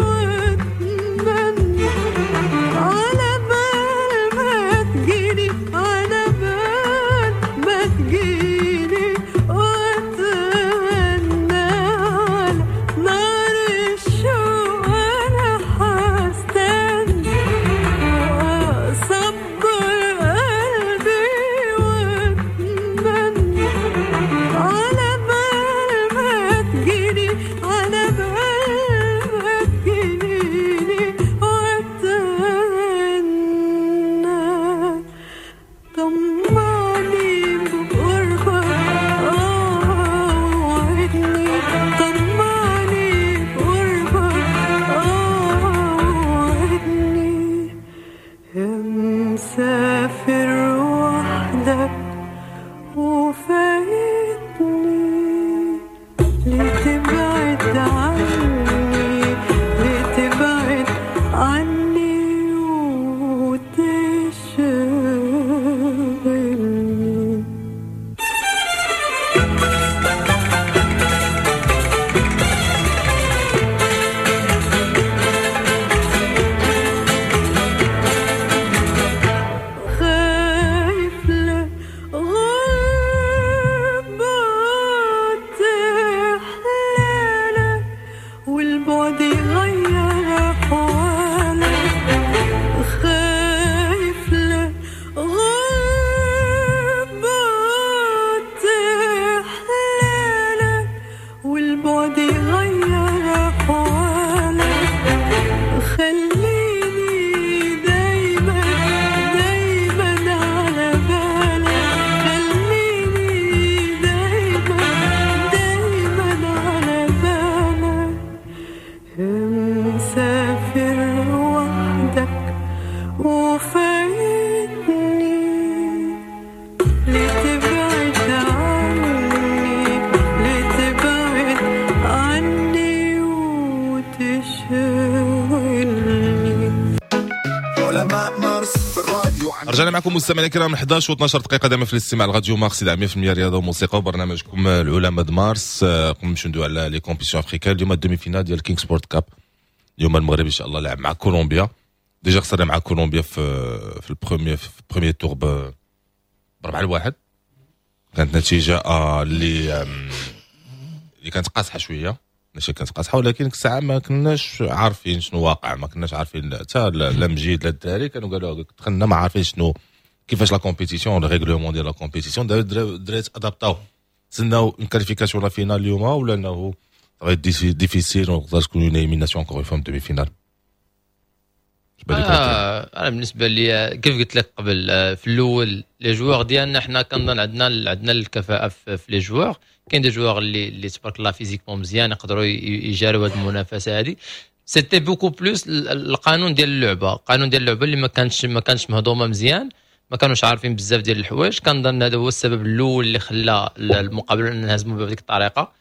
واتمنى على بال ما تجيني، على بال ما تجيني واتمنى على نار الشوق انا حستنى، اصبر قلبي واتمنى على بال ما تجيني، على بال ما تجيني واتمنى. طمعني بقربك اه وعدني، طمعني بقربك اه وعدني، يا مسافر وحدك وفايتني، ليه تبعد عني، ليه تبعد عني وتشغلني. خايف لا غربة تحلالك والبعد يغير أحوالك، خايف لا غربة تحلالك والبعد يغير أحوالك، خليني دايما دايما على بالك، خليني دايما دايما على بالك، يا مسافر وحدك وفايتني، ليه تبعد عني، ليه تبعد عني وتشغلني. علماء مارس في الراديو عن رجعنا معكم مستمعينا الكرام إحدى عشرة واثنا عشر دقيقة دائما في الاستماع لراديو مارس مية في المية رياضة وموسيقى وبرنامجكم العلماء د مارس. آه، قبل نمشيو ندوي على les compétitions africaines، اليوم ال demi-finale ديال King Sport Cup، اليوم المغرب ان شاء الله لعب مع كولومبيا. déjà خسرنا مع كولومبيا في في ال premier في ال premier tour ب بربعة لواحد، كانت نتيجة آه، اللي آم، اللي كانت قاصحة شوية، ماشي كانت قاصحة، ولكن ديك الساعة ما كناش عارفين شنو واقع، ما كناش عارفين حتى لا لا مجيد لا الدراري كانوا قالوا دخلنا ما عارفين شنو كيفاش la compétition، le règlement ديال la compétition. الدراري ادابطاو، تسناو une qualification la finale اليوم ولا انه difficile وتقدر تكون une élimination encore une fois demi-finale؟ آه انا بالنسبة لي كيف قلت لك قبل، آه، في الاول les joueurs ديالنا حنا كنظن عندنا عندنا الكفاءة في, في les joueurs. كاين des joueurs اللي اللي تبارك الله physiquement مزيان، يقدروا يجاروا هذه المنافسة هذه. c'était beaucoup plus القانون ديال اللعبه، القانون ديال اللعبة اللي ما كانش ما كانش مهضومة مزيان، ما كانوش عارفين بزاف ديال الحوايج. كنظن هذا هو السبب الاول اللي خلى المقابلة نهزموا بهذيك الطريقه.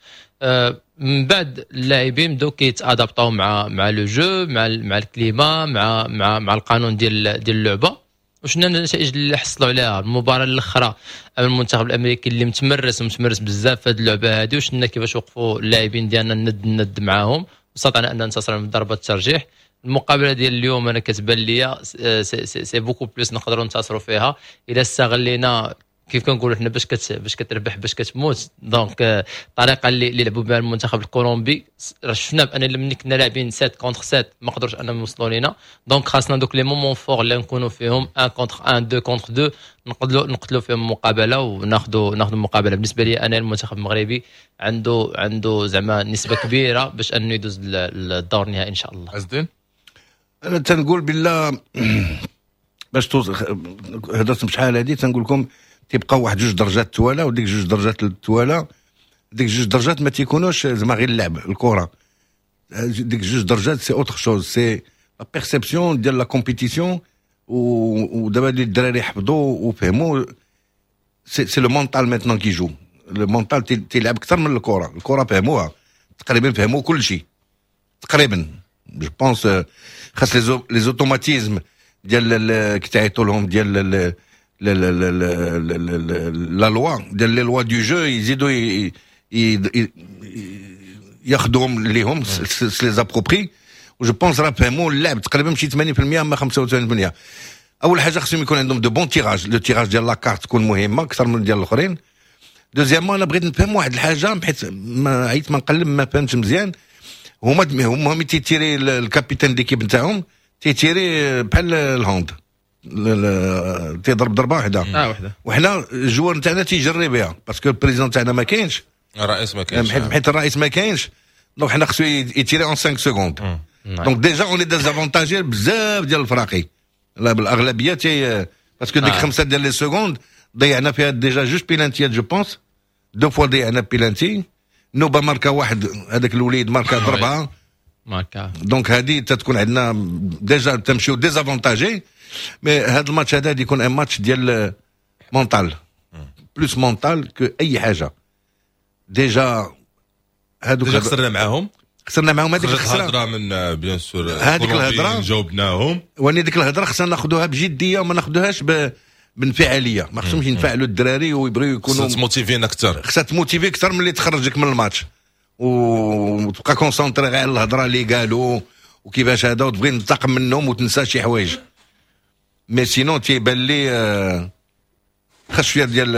آه، من بعد اللاعبين بداو كيتادابطاو مع مع le jeu، مع مع ال climat، مع مع مع القانون ديال ديال اللعبه، وشفنا النتائج اللي حصلوا عليها المباراة الاخرى امام المنتخب الامريكي اللي متمرس ومتمرس بزاف في هذه اللعبة هذه، وشفنا كيفاش وقفوا اللاعبين ديالنا الند الند معاهم واستطعنا ان ننتصر من ضربه الترجيح. المقابلة ديال اليوم انا كتبان لي c'est, c'est, c'est beaucoup plus نقدروا ننتصروا فيها اذا استغلينا كيف كنقولوا حنا باش كت باش كتربح باش كتموت. donc الطريقة اللي, اللي لعبوا بها المنتخب الكولومبي راه شفنا بان ملي كنا لاعبين سبعة contre سبعة ما قدروش انهم يوصلوا لينا. donc خاصنا دوك les moments forts اللي نكونوا فيهم واحد contre واحد، اثنين contre اثنين، نقدروا نقتلوا فيهم المقابلة وناخذوا ناخذوا المقابله. بالنسبة لي انا المنتخب المغربي عنده عنده زعما نسبه كبيرة باش انه يدوز للدور النهائي ان شاء الله. عز الدين. انا تنقول بالله باش توصل، هضرت بشحال هادي، تنقول لكم تيبقاو واحد جوج درجات توالا، وديك جوج درجات التوالا، ديك جوج درجات ما تيكونوش زعما غير اللعب الكره، ديك جوج درجات c'est autre chose، c'est la perception ديال la compétition. ودابا اللي الدراري حفظوا وفهموا، c'est c'est le mental maintenant qui joue، le mental تيلعب اكثر من الكره. الكره فهموها تقريبا، فهموا كل شيء تقريبا je pense. خاص les automatismes ديال كيتعيطوا لهم ديال la loi ديال les lois du jeu يزيدوا ياخذوهم ليهم، les approprier. و je pense راه فهموا اللعب تقريبا شي ثمانين بالمية اما خمسة وثمانين بالمية. اول حاجة خصهم يكون عندهم de bons tirages، le tirage ديال la carte تكون مهمة اكثر من ديال الاخرين. deuxièmement انا بغيت نفهم واحد الحاجة، حيت ما عييت ما نقلب ما فهمتش مزيان. هما هما تيتيري ال capitaine d'équipe نتاعهم تيتيري بحال ال hand، تيضرب ضربه واحدة. اه وحده. وحنا ال joueur نتاعنا تيجري بها parce que ال président تاعنا ما كاينش، الرئيس ما كاينش، حيت الرئيس ما كاينش. donc حنا خصو يتيري en cinq secondes، donc déjà on est désavantagé بزاف ديال الفراقي. لا بالاغلبيه تي parce que ديك خمسة ديال les secondes ضيعنا فيها déjà جوج بيلانتيات، je pense deux fois ضيعنا بيلانتي. نوبه ماركا واحد، هذاك الوليد ماركا ضربها ماركا. donc هذه تتكون عندنا déjà تمشيو désavantagés. mais هذا الماتش هذا يكون un match ديال mental، plus mental que اي حاجة. déjà هادوك déjà خسرنا معاهم، خسرنا معاهم هذيك الخسارة الهضرة من bien sûr هذيك الهضرة جاوبناهم، واني ديك الهضرة خصنا ناخذوها بجدية وما ناخذوهاش ب بانفعاليه. ما خصهمش ينفعلوا الدراري ويبغيو يكونوا خصها تموتيفينا اكثر، خصها تموتيفي اكثر من اللي تخرجك من الماتش وتبقى concentré غير على الهضرة اللي قالوا وكيفاش هذا، وتبغي تنتقم منهم وتنسى شي حوايج. mais sinon تيبان لي خاص شوية ديال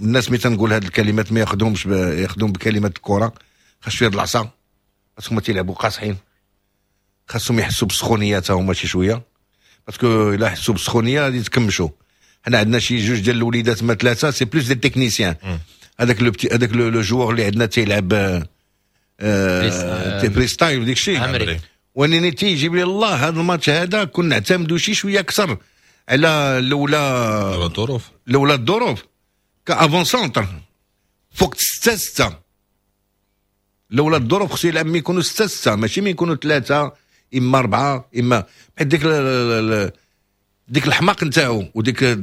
الناس ملي تنقول هاد الكلمات ما ياخذهمش، ياخذهم بكلمات الكره. خاص شوية د العصا، parce que هما تيلعبوا قاصحين، خاصهم يحسوا بالسخونيه تا هما شي شوية، parce que الا حسوا بالسخونيه غادي يتكمشوا. حنا عندنا شي جوج ديال الوليدات ما ثلاثة، c'est plus des techniciens. هذاك le petit هذاك le joueur اللي عندنا تيلعب آه freestyle وديك الشيء، وانني تيجيب لي الله هذا الماتش هذا كنا نعتمدوا شي شوية اكثر على لولا الظروف، لولا الظروف ك avant-centre فوق ستة ستة. لولا الظروف خصو يلعب مي يكونوا ستة ستة، ماشي مي يكونوا ثلاثة اما أربعة اما، حيت ديك ديك الحماق نتاعو وديك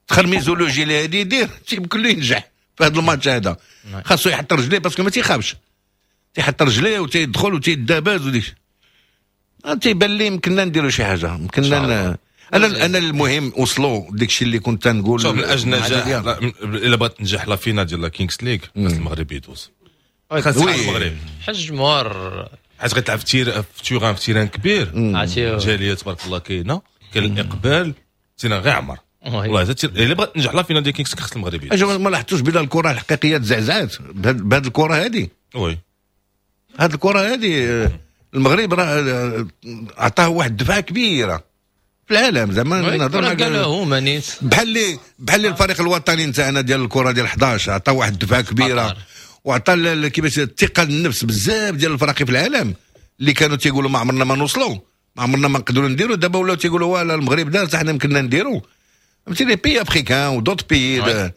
التخرميزولوجي اللي هادي يدير تيمكن له ينجح في هذا الماتش هذا. خاصو يحط رجليه parce que ما تيخافش، تيحط رجليه وتيدخل وتيداباز وديك تيبان لي يمكننا نديرو شي حاجة، يمكننا. انا انا المهم وصلوا داك الشيء اللي كنت نقول. شوف من اجل نجاح، الا بغات تنجح la finale ديال la Kings League خاص المغرب يدوز، خاص المغرب حج الجمهور، حيت غتلعب في terrain في terrain في terrain كبير، الجالية تبارك الله كاينه، كاين الاقبال، terrain غير عمر والله. الا بغات تنجح la finale ديال Kings خاص المغرب يدوز. ما لاحظتوش بلا الكره الحقيقية تزعزعات بهذه الكره هذه؟ oui هذه الكره هذه المغرب راه عطاه واحد الدفعة كبيرة في العالم زعما. نهضر هما نيت بحال اللي بحال اللي الفريق الوطني نتاعنا ديال الكره ديال حداش عطاه واحد الدفعة كبيرة وعطى كيفاش الثقة للنفس بزاف ديال الفرق في العالم اللي كانوا تيقولوا ما عمرنا ما نوصلوا، ما عمرنا ما نقدروا نديروا. دابا ولاو تيقولوا voilà المغرب دار حتى حنا يمكننا نديروا. فهمتي les pays africains و d'autres pays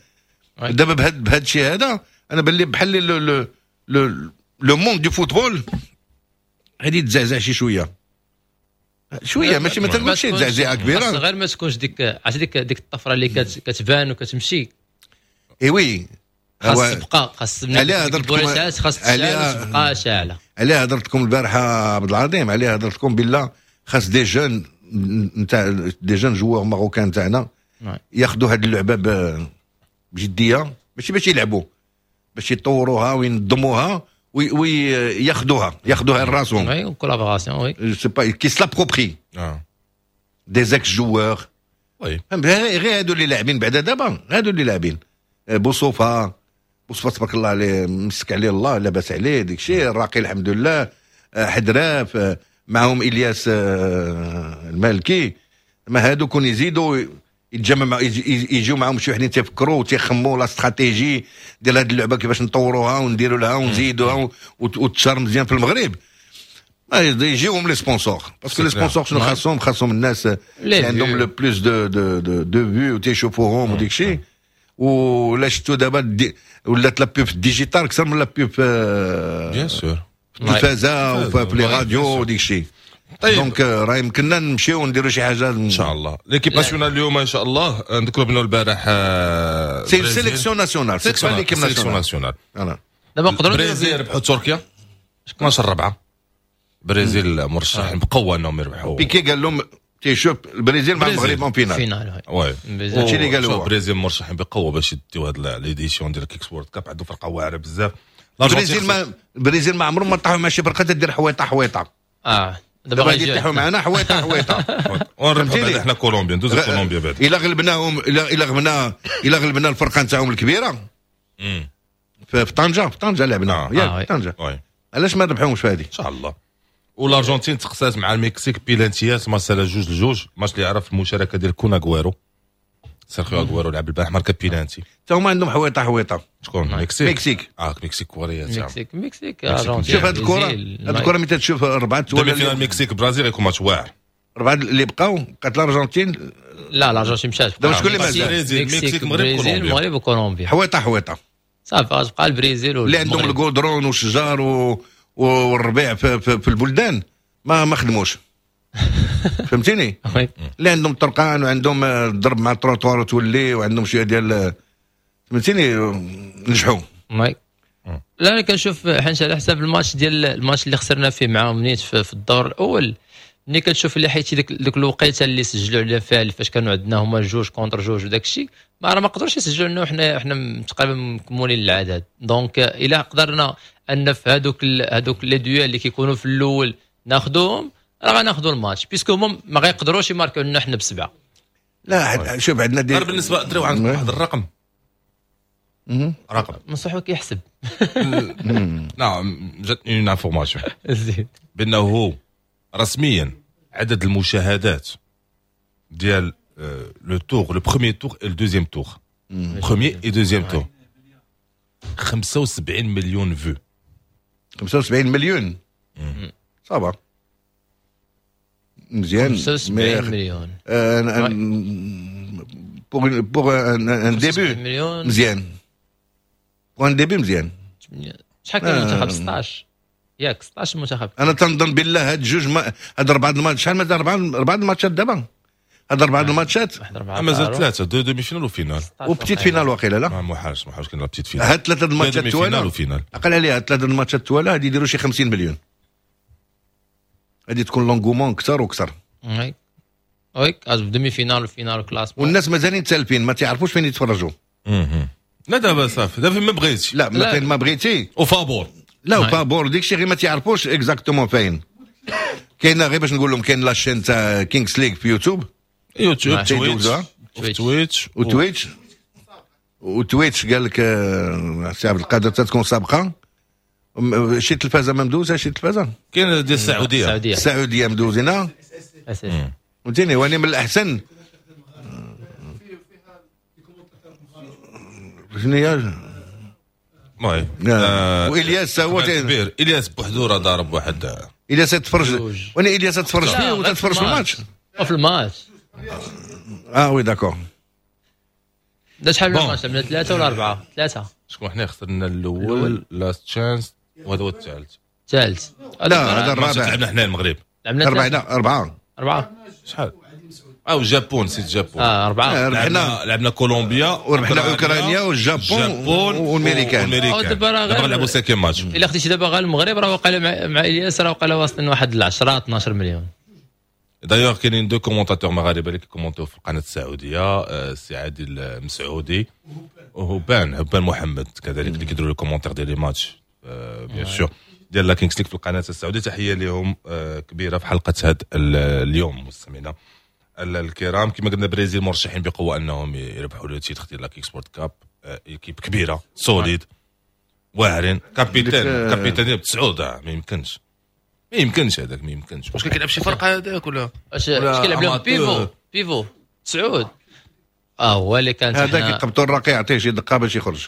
دابا بهذا بهذا الشيء هذا انا بان لي بحال le le le monde du football غادي يتزعزع شي شوية شوية، ماشي ما تنقولش شي تزعزعه كبيرة، غير ما تكونش ديك عرفتي ديك ديك الطفرة اللي كتبان وكتمشي. اي oui خاص تبقى، خاص عليها هضرت لكم، خاص تبقى شاعله. عليها هضرت لكم البارحة عبد العظيم، عليها هضرت لكم بالله خاص des jeunes نتاع des jeunes joueurs marocains تاعنا ياخذوا هذه اللعبة بجدية، ماشي باش يلعبوا، باش يطوروها وينظموها وياخذوها ياخذوها لراسهم. oui collaboration oui c'est pas qu'ils s'approprient des ex-joueurs. oui غير هادو اللي لاعبين بعدا دابا، هادو اللي لاعبين بوصوفه، بوصوفه تبارك الله عليه، مسك عليه الله، لاباس عليه ديك الشيء، الراقي الحمد لله، حدراف معهم الياس المالكي. ما هادو كون يزيدوا يتجمع يجيو معاهم شي وحدين تيفكروا وتيخموا la stratégie ديال هذه اللعبة كيفاش نطوروها ونديروا لها ونزيدوها وتشار مزيان في المغرب. يجيوهم les sponsors، parce que les sponsors شنو خاصهم؟ خاصهم الناس اللي عندهم le plus de de de de vues وتيشوفوهم وديك الشيء. ولا شفتوا دابا ولات la pub digitale اكثر من la pub bien sûr في التلفازه وفي les radios وديك الشيء. طيب donc راه يمكننا نمشيو ونديروا شي حاجة ان شاء الله. l'équipe nationale اليوم ان شاء الله نذكروا بانه البارح c'est sélection nationale، c'est pas l'équipe nationale. دابا نقدروا البرازيل ربحوا تركيا اثنا عشر أربعة. البرازيل مرشحين بقوة انهم يربحوا. بيكي قال لهم تيشوف البرازيل مع المغرب en finale. finale oui هادشي اللي قالوا. البرازيل مرشحين بقوة باش يديو هاد l'édition ديال Kings World Cup، عندهم فرقه واعرة بزاف. البرازيل ما البرازيل ما عمرهم ما طاحوا مع شي فرقه تدير حويطه حويطه. اه دابا غادي يطيحوا معنا حويطه حويطه. ونربحوا بعدا حنا كولومبيا، ندوزو كولومبيا بعدا. الا غلبناهم، الا غلبنا الا غلبنا الفرقة نتاعهم الكبيرة في طنجه، في طنجه لعبنا ياك في طنجه، علاش ما نربحوهمش في هذه؟ ان شاء الله. والارجنتين تقصات مع المكسيك بيلانتيات، ماتش على جوج لجوج، ماتش اللي عرف المشاركة ديال كون اغويرو، سيرخيو اغويرو لعب البارح ماركا بيلانتي. حتى هما عندهم حويطه حويطه. شكون؟ المكسيك. المكسيك اه المكسيك كوريا. المكسيك المكسيك ارجنتين. شوف هذه الكره، هذه الكره ملي تشوف اربعة demi-finale المكسيك برازيل غيكون ماتش واعر. اربعة اللي بقاو بقات الارجنتين. لا الارجنتين مشات. دابا شكون اللي مازال؟ المكسيك المغرب كولومبيا. المغرب وكولومبيا. حويطه حويطه صافي غتبقى البرازيل اللي عندهم الكودرون والشجار والربيع في, في, في البلدان ما ما خدموش. فهمتيني؟ اللي عندهم الطرقان وعندهم الضرب مع التروطوار وتولي وعندهم شوية ديال فهمتيني نجحوا. لا انا كنشوف حيت على حساب الماتش ديال الماتش اللي خسرنا فيه معاهم نيت في, في الدور الاول، ملي كتشوف اللي حيت ديك ديك الوقيته اللي سجلوا علينا فيها فاش كانوا عندنا هما جوج contre جوج وداك الشيء، ما راه ما قدروش يسجلوا لنا وحنا حنا تقريبا مكمولين العدد. donc الا قدرنا ان في هذوك هذوك les duels اللي كيكونوا في الاول ناخذوهم راه غناخذوا الماتش، puisque هما ما غيقدروش يماركوا لنا حنا بسبعة. لا شوف عندنا ديال بالنسبة دريو عندك واحد الرقم رقم منصوح كيحسب. نعم جاتني une information زيد بانه رسميا عدد المشاهدات ديال le tour le premier tour et le deuxième tour premier et deuxième tour خمسة وسبعين مليون vues. خمسة وسبعين مليون ça va مزيان. خمسة وسبعين مليون pour pour un début مزيان، pour un début مزيان. شحال كان المنتخب؟ ستة عشر ياك ستة عشر منتخب. انا تنظن بالله هاد جوج ما... هاد اربعة الماتش، شحال مازال؟ اربعة اربعة الماتشات دابا، هاد اربعة الماتشات مازال ثلاثة deux demi-finales و finale و petite finale واقيلا. لا ما محالش محالش كاين la petite finale. هاد ثلاثة الماتشات توالا عقل عليها، هاد ثلاثة الماتشات توالا غادي يديروا شي خمسين مليون، غادي تكون l'engouement اكثر واكثر. oui oui demi-finale و finale classement، والناس مازالين تالفين ما تعرفوش فين يتفرجوا. لا دابا صافي دابا فين ما بغيتي. لا ما فين ما بغيتي وفابور. لا وفابور ديك الشيء غير ما تعرفوش exactement فين كاينه. غير باش نقول لهم كاين la chaîne تاع Kings League في يوتيوب، يوتيوب تويتش تويتش وتويتش وتويتش. قال لك سي عبد القادر تكون سابقه شي تلفازه ما مدوزه، شي تلفازه كاين ديال السعودية، السعودية مدوزينها فهمتيني. وانا من الاحسن شنو هي المهم. والياس هو كبير، الياس بوحدو راه ضارب واحد. الياس تفرج وانا الياس تفرج فيه وتتفرج في الماتش في الماتش. اه oui d'accord. دا شحال من ماتش؟ من ثلاثة ولا اربعة؟ ثلاثة. شكون حنا خسرنا الاول last chance وهذا هو الثالث. الثالث لا هذا الرابع. لعبنا حنا المغرب لعبنا اربعة اربعة اربعة شحال؟ او الجابون سيت الجابون اه اربعة. لعبنا لعبنا كولومبيا وربحنا اوكرانيا والجابون والميريكان. دابا نلعبوا cinquième match. الا خديتي دابا غير المغرب راه وقع مع, مع الياس راه وقع واصلين واحد عشرة اثنا عشر مليون. d'ailleurs كاينين deux commentateurs مغاربة اللي كيكومونتيو في القناة السعودية، السي عادل مسعودي وهبان هبان محمد كذلك اللي كيديروا les commentaires ديال les matchs bien sûr ديال la Kings League في القناة السعودية. تحية لهم كبيرة في حلقة هذا اليوم مستمعينا الكرام. كما قلنا برازيل مرشحين بقوة انهم يربحوا le titre ديال la Kings World Cup. équipe كبيرة solide واعرين، capitaine capitaine ديال تسعود ما يمكنش ما يمكنش هذاك ما يمكنش. واش كيلعب شي فرقه هذاك ولا واش كيلعب لهم pivot pivot تسعود؟ اه هو اللي كان هذاك يقبطوا الراقي يعطيه شي دقه باش يخرج.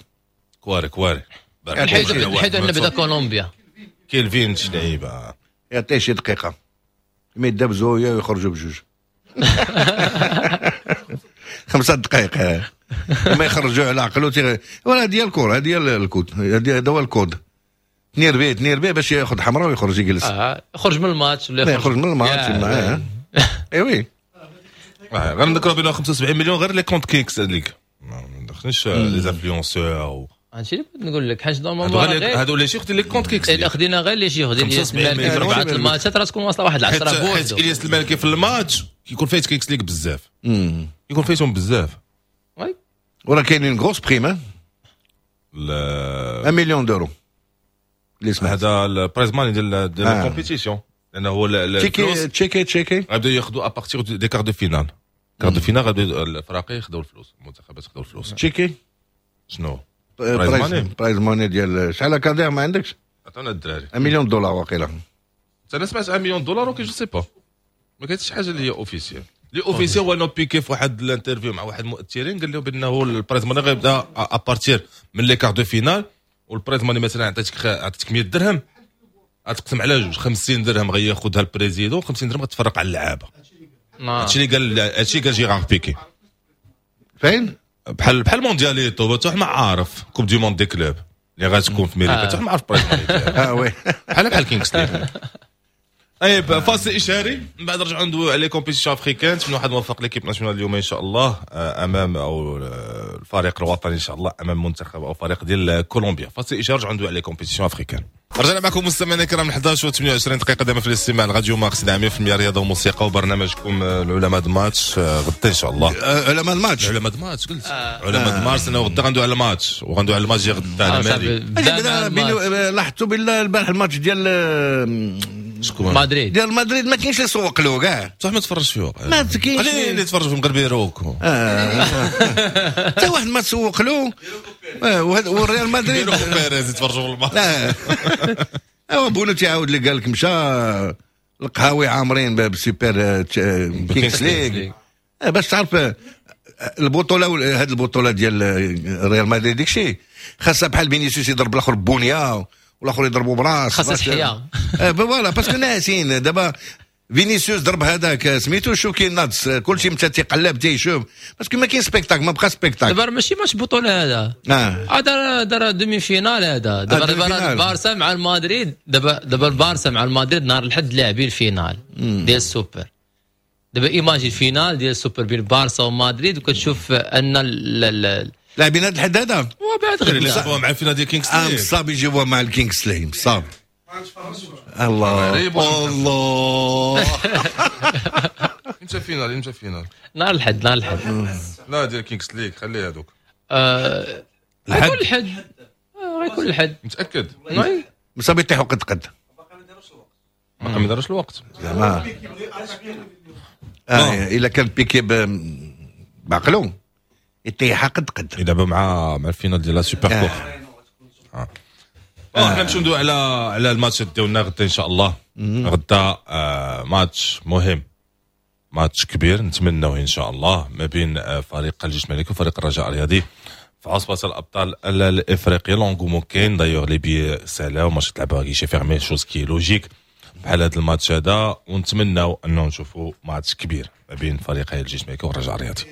كواري كواري حيدو عندنا بدا كولومبيا كيلفين شي لعيبة يعطيه شي دقيقة ما يدابزوا ويخرجوا بجوج خمسة دقائق ما يخرجوا على عقلو. ولا هذه هي الكره، هذه هي الكود، هذا هو الكود. تنيرفي تنيرفي باش ياخذ حمراء ويخرج يجلس. اه يخرج من الماتش ولا يخرج من الماتش معاه. اي oui غير نذكروا بانه خمسة وسبعين مليون غير les comptes Kings League، ما ندخلش les influenceurs. هادشي اللي بغيت نقول لك حيت normalement هادو les chiffres ديال les comptes Kings الا خدينا غير les chiffres ديال الياس المالكي في اربعة الماتشات راه تكون واصله واحد عشرة بوحدو. حيت الياس المالكي في الماتش كيكون فايت Kings League بزاف، كيكون فايتهم بزاف. oui وراه كاينين grosse prime واحد مليون d'euros اللي سمعت. هذا ال prize money ديال ديال ال compétition. لانه هو تشيكي تشيكي تشيكي غادي ياخذوا à partir des quarts de finale. quart de finale غادي الفراقي ياخذوا الفلوس، المنتخبات ياخذوا الفلوس. تشيكي شنو؟ prize money prize money ديال شحال كادير ما عندكش؟ عطونا الدراري مليون دولار واقيلا. انا سمعت مليون دولار okay je sais pas، ما كاينش شي حاجة اللي هي officielle. اللي officiel هو انه بيكي في واحد ال interview مع واحد المؤثرين قال له بانه ال prize money غيبدا à partir من les quarts de finale، وال prize money مثلا عطيتك عطيتك مية درهم غتقسم على جوج، خمسين درهم غياخذها ال président، خمسين درهم غتفرق على اللعابه. هادشي اللي قال، هادشي قال جيرار بيكي. فين؟ بحال بحال موندياليتو، حتى ما عارف Coupe du monde des clubs اللي غتكون في امريكا، حتى ما عارف prize money. اه oui بحال بحال Kings League. طيب فاصل اشهاري، من بعد نرجعوا ندويو على les compétitions africaines. من واحد موفق l'équipe nationale اليوم ان شاء الله امام او الفريق الوطني ان شاء الله امام منتخب او فريق ديال كولومبيا. فاصل اشهاري، نرجعوا ندويو على les compétitions africaines. رجعنا معكم مستمعينا الكرام احداش و ثمانية وعشرين دقيقة دائما في الاستماع لراديو مارس مية بالمية رياضة وموسيقى وبرنامجكم العلماء د ماتش. غدا ان شاء الله علماء الماتش، علماء د ماتش قلت علماء د مارس، انه غدا غندوي على الماتش وغندوي على الماتش ديال غدا. لاحظتوا بالله البارح الماتش ديال شكون؟ مدريد، ديال مدريد ما كاينش اللي يسوق له كاع. صح ما تفرجش فيه، ما كاينش قليل اللي يتفرج في المغرب يروك. حتى واحد ما تسوق له. والريال مدريد بيريز يتفرجوا في الماتش. لا ايوا بونو تيعاود اللي قال لك مشى القهاوي عامرين بال Super Kings League باش تعرف البطولة. هذه البطولة ديال ريال مدريد داكشي خاصها بحال فينيسيوس يضرب الاخر بونيا والاخر يضربوا براس، خاصها تحيا voilà parce que ناسين دابا فينيسيوس ضرب هذاك سميتو شوكي ناتس، كلشي مشى تيقلب تيشوف parce que ما كاين spectacle، ما بقى spectacle. دابا ماشي ماتش بطوله هذا، هذا دار demi-finale هذا. دابا البارسا مع المدريد، دابا دابا البارسا مع المدريد نهار الحد لاعبين ال finale ديال السوبر. دابا imagine finale ديال السوبر بين بارسا ومدريد، وكتشوف ان لاعبين هذا الحد هذا وبعد غدا يلعبوها مع ال finale ديال Kings League. مصاب يجيبوها مع ال Kings League مصاب. الله الله امتى finale؟ امتى finale؟ نهار الحد، نهار الحد. لا ديال Kings League خليه هذوك. غيكون الحد، غيكون الحد متاكد. مصاب يطيحوا قد قد، باقي ما داروش الوقت زعما. اه الا كان بيكي بعقلو يطيحها قد قد. يلعبوا مع مع ال finale ديال la Super Coupe. اه حنا نمشيو ندوي على على الماتش ديالنا غدا ان شاء الله. غدا آه ماتش مهم، ماتش كبير نتمنوه ان شاء الله ما بين فريق الجيش الملكي وفريق الرجاء الرياضي في عصبة الابطال الافريقية. l'engouement كاين d'ailleurs les billets سالاو، ماتش تلعبها guichets fermés، chose qui est logique بحال هذا الماتش هذا، ونتمناو انه نشوفوا ماتش كبير ما بين فريقي الجيش الملكي والرجاء الرياضي.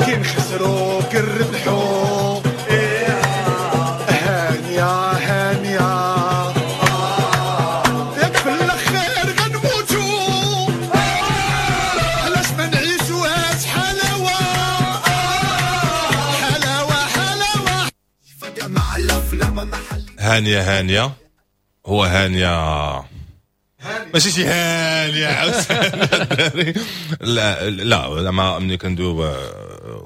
كنخسروا كنربحوا هانيه هانيه، ياك في الاخير غنموتوا، علاش ما نعيشوهاش حلاوة حلاوة حلاوة. هانيه هانيه، هو هانيه ماشي شي هانيه عاوتاني. لا لا زعما ملي كندويو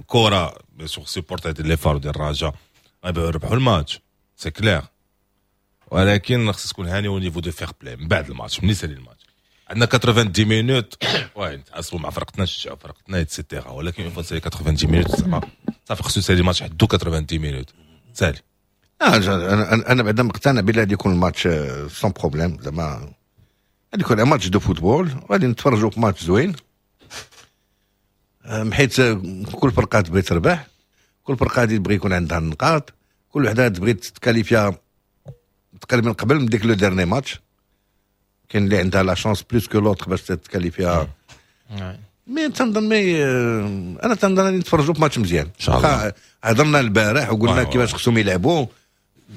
كره sur supporters ديال les FAR ديال الرجاء غيبغيو يربحوا الماتش c'est clair، ولكن خص تكون هاني au niveau de fair-play من بعد الماتش. ملي سالي الماتش عندنا تسعين minutes وين نتعصبوا مع فرقتنا، نشجعوا فرقتنا et cetera، ولكن une fois سالي تسعين minutes زعما صافي خصو يسالي الماتش حدو تسعين minutes سالي. اه انا انا بعدا مقتنع بلي غادي يكون الماتش sans problème، زعما غادي يكون match de football، غادي نتفرجوا في ماتش زوين، حيت كل فرقه تبغي تربح، كل فرقه غادي تبغي يكون عندها النقاط، كل وحده تبغي تكاليفيا تقريبا قبل من ديك le dernier match. كاين اللي عندها la chance plus que l'autre باش تكاليفيا. mais تنظن mais انا تنظن غادي نتفرجوا في ماتش مزيان. ان شاء الله. هضرنا البارح وقلنا كيفاش خصهم يلعبوا.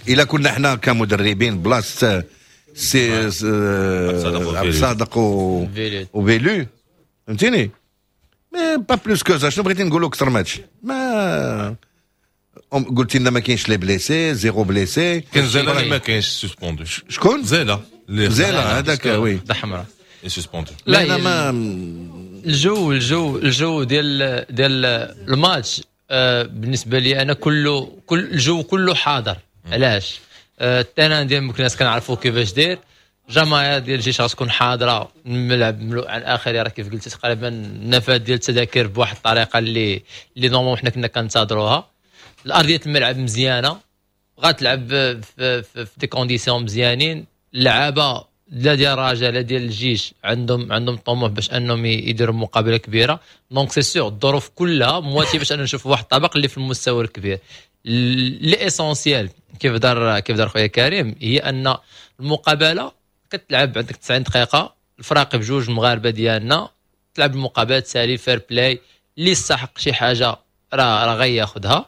الا كنا حنا كمدربين بلاصة سي عبد الصادق وفيلو فهمتيني، mais pas plus que ça. شنو بغيتي نقولوا اكثر من هادشي؟ ما قلت لنا ما كاينش les blessés، zéro blessé. كاين زيلا ما كاينش suspendu. شكون زيلا؟ زيلا هذاك oui حمراء suspendu. لا ما الجو الجو الجو ديال ديال الماتش آه بالنسبة لي انا كله، كل الجو كله حاضر. علاش؟ آه ال terrain ديال مكناس كنعرفوا كيفاش داير، الجماهير ديال الجيش غتكون حاضره، الملعب مملوء على الاخر، راه كيف قلت تقريبا النفاذ ديال التذاكر بواحد الطريقة اللي اللي normalement حنا كنا كنتظروها. الارضية الملعب مزيانه، غتلعب في, في, في des conditions مزيانين. اللعابه لا ديال الرجاء لا ديال الجيش عندهم عندهم طموح باش انهم يديروا مقابله كبيره، donc c'est sûr الظروف كلها مواتيه باش اننا نشوفوا واحد الطبق اللي في المستوى الكبير. l'essentiel كيف دار كيف دار خويا كريم هي ان المقابلة كتلعب عندك تسعين دقيقه، الفراقي بجوج المغاربة ديالنا تلعب المقابلات سالي fair-play، اللي يستحق شي حاجة راه راه غياخذها،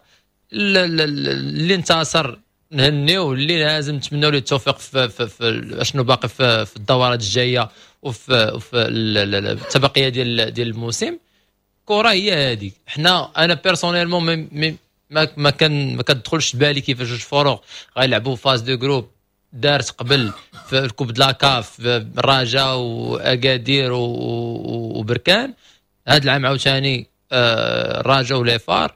اللي انتصر نهنيو، اللي لازم نتمنوا له التوفيق في, في, في اشنو باقي في, في الدورات الجاية وفي في التبقية ديال ديال الموسم. كره هي هذيك. حنا انا personnellement ما ما كان ما كتدخلش بالي كيفاش جوج فروق غيلعبوا phase de groupes دارت قبل في ال coupe de la CAF الرجاء واكادير وبركان، هذا العام عاوتاني آه، الرجاء و les FAR،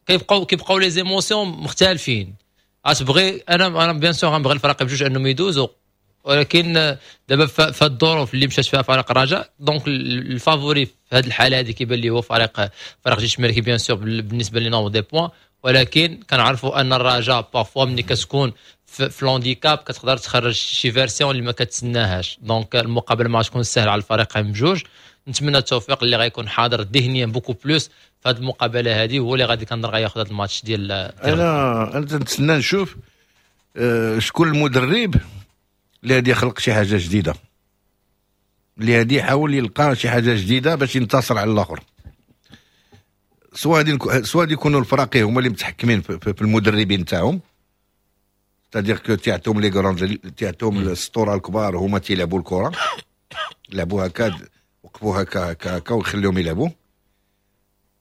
كيبقاو كيبقاو les émotions مختلفين. غتبغي انا انا bien sûr غنبغي الفرق بجوج انهم يدوزوا، ولكن دابا في الظروف اللي مشات فيها فريق الرجاء، donc ال favori في هذه الحالة هذه كيبان لي هو فريق فريق جيش الملكي bien sûr بالنسبة les nombres de points، ولكن كنعرفوا ان الرجاء parfois ملي كتكون في, في l'handicap كتقدر تخرج شي version اللي ما كتسناهاش، donc المقابلة ما غتكون سهلة على الفريقين بجوج. نتمنى التوفيق اللي غيكون حاضر ذهنيا beaucoup plus في هذه المقابلة هذه، هو اللي غادي كنظن غياخذ هذا الماتش ديال. انا انا تنتسنى نشوف آه، شكون المدرب اللي غادي يخلق شي حاجة جديده، اللي غادي يحاول يلقى شي حاجة جديدة باش ينتصر على الاخر. سواء غادي سواء غادي يكونوا الفراقي هما اللي متحكمين في, في المدربين تاعهم، c'est-à-dire que تيعطيهم les grandes، تيعطيهم السطوره الكبار، هما تيلعبوا الكره، لعبوا هكا، وقفوا هكا هكا هكا ويخليهم يلعبوا.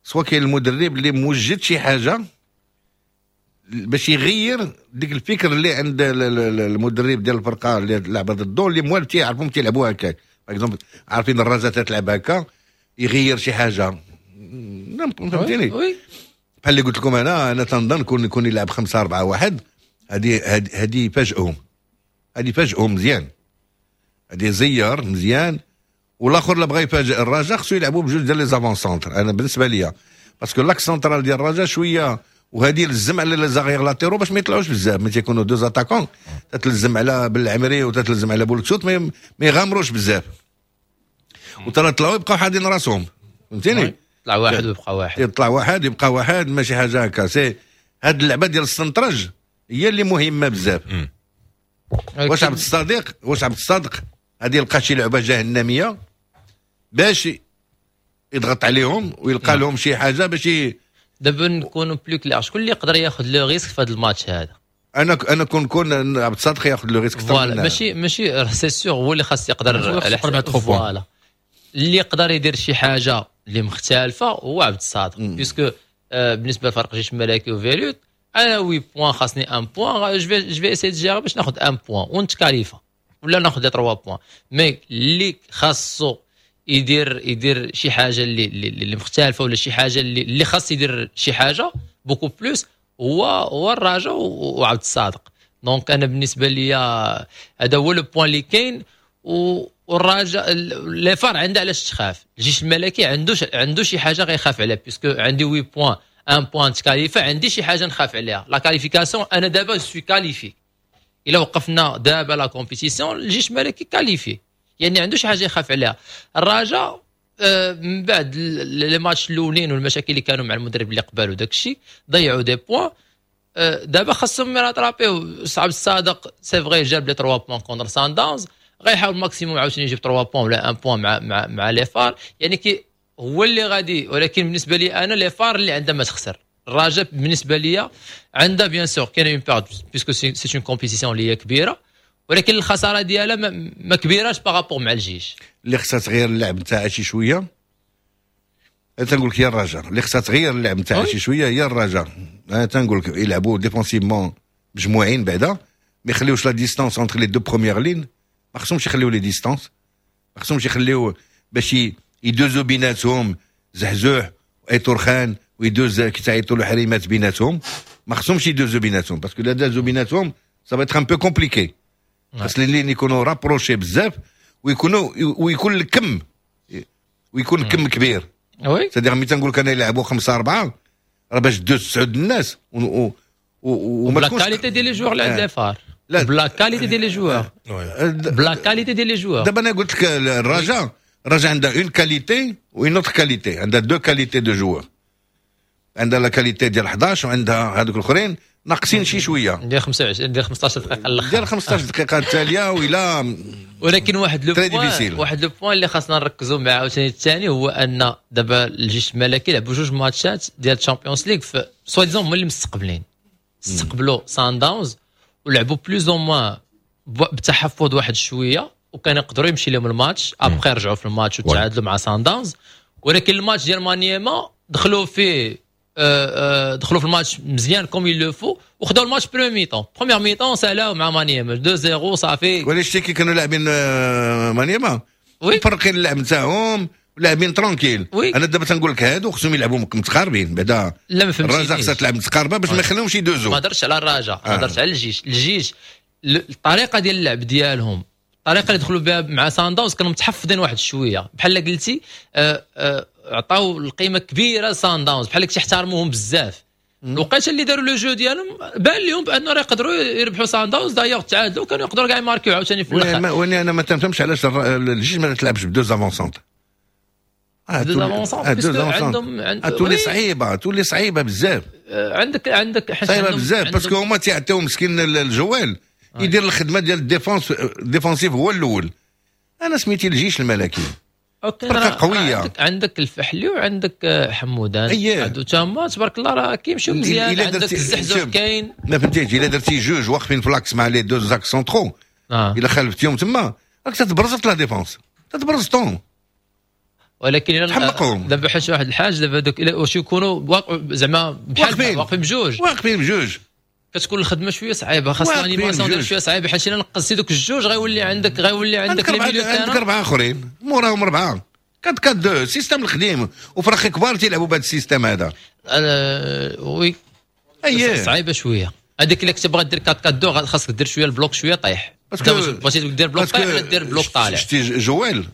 سواء كاين المدرب اللي موجد شي حاجة باش يغير ديك الفكر اللي عند المدرب ديال الفرقة اللي لعبه ضده، اللي موالف تيعرفهم تيلعبوا هكاك، par exemple عارفين الرجاء تلعب هكا، يغير شي حاجه، فهمتيني؟ بحال اللي قلت لكم، انا انا تنظن كون يكون يلعب خمسة أربعة واحد، هذه هذه فاجئهم، هذه فاجئهم مزيان، هذه زير مزيان. والاخر اللي بغى يفاجئ الرجاء خصو يلعبوا بجوج ديال les avants-centres انا بالنسبة ليا، parce que l'axe central ديال الرجاء شويه، وهذه لزم على les arrières latéraux باش ما يطلعوش بزاف. ملي تيكونوا deux attaquants تتلزم على بالعمري وتتلزم على بولكسوت ما يغامروش بزاف، وترى طلعوا يبقاو حادين راسهم، فهمتيني؟ يطلع واحد ويبقى واحد. يطلع واحد يبقى واحد، ماشي حاجة هكا. c'est هاد اللعبة ديال السنترج هي اللي مهمة بزاف. واش عبد الصادق واش عبد الصادق غادي يلقى شي لعبه جهنميه باش يضغط عليهم ويلقى لهم شي حاجة باش دابا نكونوا plus clairs، شكون اللي يقدر ياخذ le risque في هذا الماتش هذا؟ انا انا كون كون عبد الصادق ياخذ le risque. voilà، ماشي ماشي c'est sûr هو اللي خاص يقدر على voilà، اللي يقدر يدير شي حاجة اللي مختلفة هو عبد الصادق، puisque آه بالنسبة لفريق جيش الملكي وفيلوت، انا huit points خاصني un point، je vais je vais essayer de gérer باش ناخذ un point ونتكاليفا ولا ناخذ trois points. mais اللي خاصو يدير يدير شي حاجة اللي اللي مختلفة ولا شي حاجة اللي اللي خاص يدير شي حاجة beaucoup plus هو هو الرجاء وعبد الصادق. donc انا بالنسبة لي هذا هو le point اللي كاين. والرجاء les FAR عنده علاش تخاف، الجيش الملكي عنده عنده شي حاجة غيخاف عليها، puisque عندي huit points، un point تكاليفا، عندي شي حاجة نخاف عليها la qualification. انا دابا je suis qualifié، الا وقفنا دابا la compétition الجيش الملكي qualifié، يعني عنده شي حاجة يخاف عليها. الرجاء آه، من بعد les matchs الاولين والمشاكل اللي كانوا مع المدرب اللي قبل وداك الشيء ضيعوا des points، آه، دابا خاصهم يراترابيو. عبد الصادق c'est vrai جاب les trois points contre سان داونز، غيحاول maximum عاوتاني يجيب trois points ولا un point مع مع مع les FAR، يعني كي هو اللي غادي. ولكن بالنسبة لي انا les FAR اللي عندها ما تخسر. الرجاء بالنسبة لي عندها bien sûr كاين une perte puisque c'est une compétition اللي هي كبيره، ولكن الخسارة ديالها ما, ما كبيراش par rapport مع الجيش. اللي خصها تغير اللعب نتاعها شي شويه، انا تنقول لك هي الرجاء اللي خصها تغير اللعب نتاعها شي شويه، هي الرجاء. انا تنقول لك يلعبوا défensivement مجموعين بعدا، ما يخليوش la distance entre les deux premières lignes، ما خصهمش يخليو les distances، ما خصهمش يخليو باش يدوزو بيناتهم زحزوح وايتورخان. ويدوز كيتعيطوا له حريمات بيناتهم، ما خصهمش يدوزوا بيناتهم parce que لا دازوا بيناتهم ça va être un peu compliqué. خاص les lignes يكونوا rapprochées بزاف ويكونوا ويكون الكم ويكون الكم كبير. oui c'est-à-dire ملي تنقول لك انا يلعبوا خمسة أربعة راه باش دوز تسعود الناس و و وما ب la qualité ديال les joueurs اللي عند les FAR، لا ب la qualité ديال les joueurs، ب la qualité ديال les joueurs. دابا انا قلت لك الرجاء الرجاء عندها une qualité و une autre qualité، عندها deux qualités de joueurs، عندها la qualité ديال حداش وعندها هذوك الاخرين ناقصين شي شوية ديال خمسة وعشرين ديال خمسطاش دقيقة الاخر ديال خمسطاش دقيقة التالية ولا. ولكن واحد le point واحد le point اللي خاصنا نركزوا معاه عاوتاني الثاني هو ان دابا الجيش الملكي لعبوا جوج ماتشات ديال الشامبيونز ليغ في soi-disant هما اللي مستقبلين، استقبلوا سان داونز ولعبوا plus ou moins بتحفظ واحد شوية وكان يقدروا يمشي لهم الماتش، après رجعوا في الماتش وتعادلوا مع سان داونز. ولكن الماتش ديال مانيما دخلوا فيه آه، آه، دخلوا في الماتش مزيان comme il le faut وخداو الماتش première mi-temps première mi-temps سالاو مع مانيما اثنين صفر صافي. ولا شتي كي كانوا لاعبين آه، مانيما مفرقين اللعب نتاعهم لاعبين tranquille. oui. انا دابا تنقول لك هادو خصهم يلعبوا متقاربين بعدا. لا ما فهمتش، الرجاء خصها تلعب متقاربة باش ما يخليهمش يدوزوا. ما هضرتش على الرجاء، آه. هضرت على الجيش. الجيش الطريقة ديال اللعب ديالهم، الطريقة اللي دخلوا بها مع سانداونز كانوا متحفظين واحد شوية بحال قلتي، آه، آه، عطاو القيمة كبيرة لسان داونز بحال تيحترموهم بزاف. الوقيته اللي داروا le jeu ديالهم بان لهم بانه راه يقدروا يربحوا سان داونز، d'ailleurs تعادلوا، كانوا يقدروا كاع يماركيو عاوتاني في الاخر. واني انا ما تنفهمش علاش الجيش ما تلعبش ب deux avant-centres. deux avant-centres عندهم تولي صعيبه، تولي صعيبة بزاف. عندك عندك صعيبة بزاف parce que هما تيعطيو مسكين الجوال يدير الخدمة ديال ال défense défensive هو الاول. انا سميتي الجيش الملكي فرقه قويه. عندك, عندك الفحلي وعندك حمودان. اييه هادو تما تبارك الله راه كيمشيو مزيان. عندك الزحزوح كاين. ما فهمتيش الا درتي جوج واقفين ف l'axe مع les deux axes centraux آه. الا خالفتيهم تما راك تتبرزط la défense، تتبرزطهم. ولكن الا دابا حاجة واحد الحاجة دابا دوك واش يكونوا زعما بحال واقفين بجوج واقفين بجوج كتكون الخدمة شوية صعيبة، خاص l'animation ديال شوية صعيبة، حيت الا نقصتي دوك الجوج غيولي عندك غيولي عندك les milieux، عندك اربعة اخرين موراهم اربعة quatre quatre deux système القديم وفرق كبار تيلعبوا بهذا ال système هذا. أه oui اييه صعيبة شوية هذيك. الا كنت باغي دير أربعة أربعة اثنين خاصك دير شوية ال bloc شوية طايح، بغيتي دير bloc طايح ولا دير bloc طالع. شتي جويل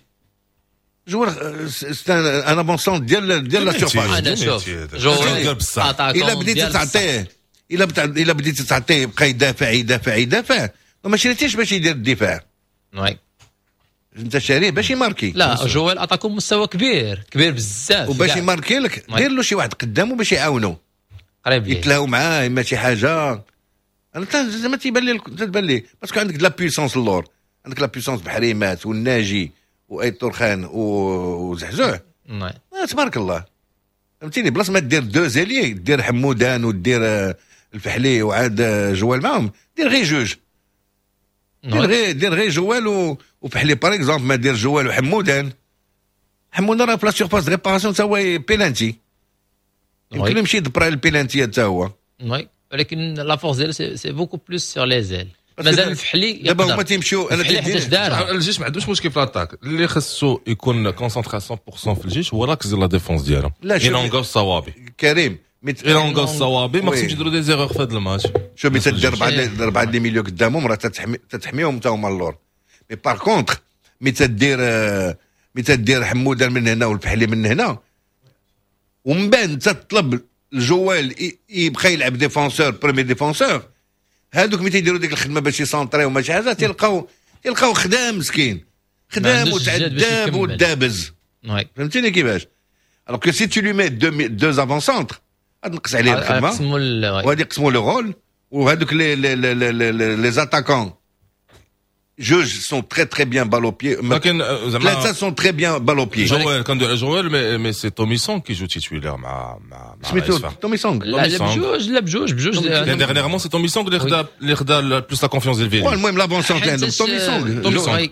جويل c'est un avant-centre ديال ديال la surface. انا شوف جويل الا بديتي تعطيه الا بتع... الا بديتي تعطيه يبقى يدافع يدافع يدافع، ما شريتيش باش يدير الدفاع. oui انت شاريه باش يماركي. لا جويل attaquant مستوى كبير كبير بزاف، وباش يماركي لك دير له شي واحد قدامه باش يعاونو قريب يتلاو معاه اما شي حاجة. انا زعما تيبان لي تبان لي parce que عندك la puissance اللور، عندك la puissance بحريمات والناجي وايت ترخان وزحزوح تبارك الله فهمتيني. بلاص ما دير deux ailiers دير حمودان ودير الفحلي وعاد جوال معاهم، دير غير جوج، دير غير دير غير جوال وفحلي par exemple، ما دير جوال وحمودان. حمودان راه في la surface de réparation تا هو بيلانتي، يمكن يمشي يدبر على البيلانتي تا هو. oui ولكن la force ديالو c'est beaucoup plus sur les ailes. مازال الفحلي دابا هما تيمشيو. انا تيدير الجيش ما عندوش مشكل في l'attaque، اللي خصو يكون concentré مية بالمية في الجيش هو l'axe ديال la défense ديالهم. ايلونغا الصوابي كريم، ايلونغا الصوابي ما خصهمش يديروا des erreurs في هذا الماتش. شوف ملي تدير اربعة اربعة des milieux قدامهم راه تتحميهم تا هما اللور. mais par contre ملي تدير ملي تدير حمودان من هنا والفحلي من هنا ومن بعد تطلب الجوال يبقى يلعب défenseur premier défenseur، هادوك ملي تيديروا ديك الخدمة باش يسونطريو وما شي حاجة تلقاو تلقاو خدام مسكين خدام وتعذب ودابز فهمتيني كيفاش. alors que si tu lui mets deux deux avant-centres غتنقص عليه الخدمة وغادي يقسموا le rôle. وهادوك les les les les attaquants جوج sont très très bien balle au pied، لكن زعما ثلاثة sont très bien balle au pied. جوال كندوي على جوال mais mais c'est توميسون qui joue titulaire مع مع سميتو توميسون. لا بجوج لا بجوج بجوج dernièrement c'est توميسون اللي خدا اللي خدا plus la confiance ديال فيلي. المهم l'avant-centre اللي عندهم توميسون توميسون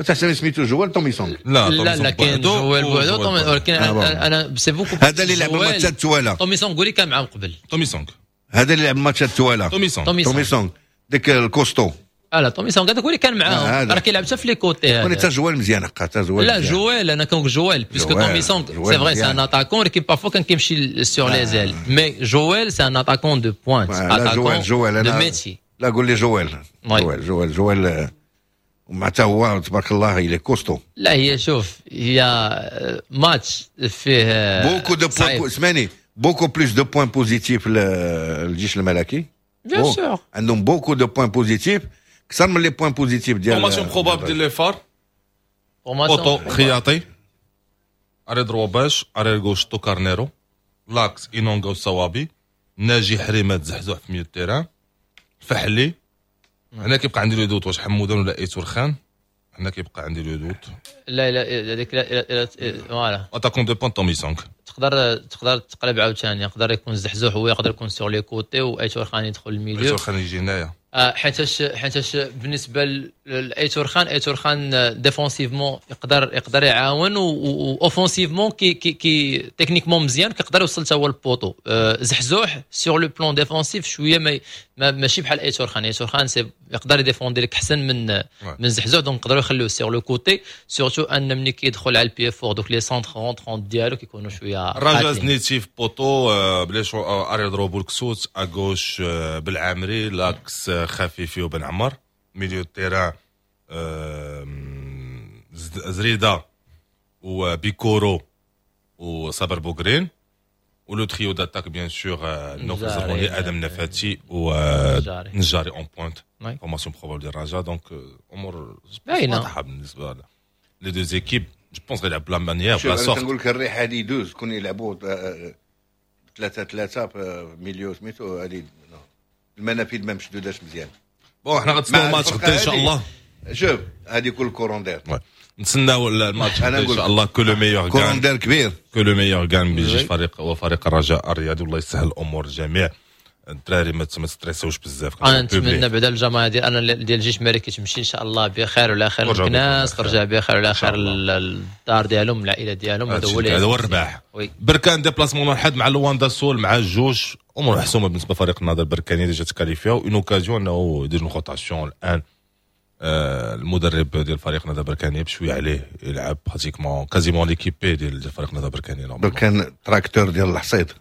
تحسب سميتو جوال توميسون. لا لا لا كاين جوال بوحدو، ولكن انا c'est beaucoup هذا اللي لعب الماتشات التواله. توميسون قولي كان معاهم قبل. توميسون هذا اللي لعب الماتشات التواله. توميسون توميسون ديك ال costaud. اه لا تومي سونغ هذاك هو اللي كان معاهم، راه كيلعب حتى في les côtés. هذا حتى جوال مزيان، حقا حتى جوال. لا جوال انا كنقول جوال puisque تومي سونغ c'est vrai c'est un attaquant، ولكن parfois كان كيمشي sur les ailes، mais جوال c'est un attaquant de pointe، attaquant de métier. لا قول لي جوال جوال جوال جوال ومع حتى هو تبارك الله il est costaud. لا هي شوف هي ماتش فيه beaucoup de points، اسمعني، beaucoup plus de points positifs الجيش الملكي. bien sûr عندهم beaucoup de points positifs اكثر من les points positifs ديال formation probable ديال les FAR: poteau خياطي، arrière droit باش، arrière gauche تو كارنيرو، l'axe اينونغا والصوابي، ناجي حريمات زحزوح في milieu terrain، فحلي. هنا كيبقى عندي le doute واش حمودان ولا ايتور خان، هنا كيبقى عندي le doute. لا لا هذيك لا voilà attaquant de pointe تومي سونغ. تقدر تقدر تقلب عاوتاني، يقدر يكون زحزوح هو يقدر يكون sur les côtés وايتور خان يدخل ال milieu. ايتور خان يجي هنايا. حيتاش حيتاش بالنسبة لايتور خان، ايتور خان défensivement يقدر يقدر يعاون، و offensivement كي كي كي techniquement مزيان، كيقدر يوصل حتى هو ال poteau. زحزوح sur le plan défensif شوية ما ماشي بحال ايتور خان. ايتور خان c'est يقدر يديفوندي لك احسن من من زحزوح، donc نقدروا يخليوه sur le côté، surtout ان ملي كيدخل على ال pied fort دوك les centres rentrants ديالو كيكونوا شوية. الرجاء زنيتي في poteau، بليش arrière droit بولكسوت، à gauche بالعامري، l'axe خفيفي وبن عمر، milieu terrain زريده وبيكورو وصابر بوغرين، و le trio d'attaque bien sûr نوفل زرغوني، ادم نفاتي ونجاري en pointe. formation probable ديال الرجاء. donc امور واضحة بالنسبة les deux équipes، je pense غيلعب ب la manière ب la sorte. نقول لك الريح هذه يدوز كون يلعبوا ثلاثة ثلاثة في milieu سميتو هذه المنافذ ما مشدوداش مزيان. bon حنا غنتسناو الماتش غدا ان شاء الله. شوف هذه كل courant d'air، نتسناو الماتش ان شاء الله، que le meilleur gagne. courant d'air كبير، que le meilleur gagne بيجي فريق وفريق الرجاء الرياضي، والله يسهل الامور الجميع. الدراري ما تستريسوش بزاف. انا نتمنى بعدا الجماعة ديال انا ديال الجيش الملكي تمشي ان شاء الله بخير وعلى خير، الناس ترجع بخير وعلى خير للدار ديالهم، العائلة ديالهم. هذا هو هذا هو الرباح. بركان déplacement الحد مع لواندا سول مع جوج، امور محسومة بالنسبة لفريق النهضة البركانيه، déjà تكاليفياو، une occasion انه يدير rotation الان. آه المدرب ديال فريق النهضة البركانيه بشوية عليه يلعب pratiquement quasiment l'équipe B ديال فريق النهضة البركانيه. بركان تراكتور ديال الحصيد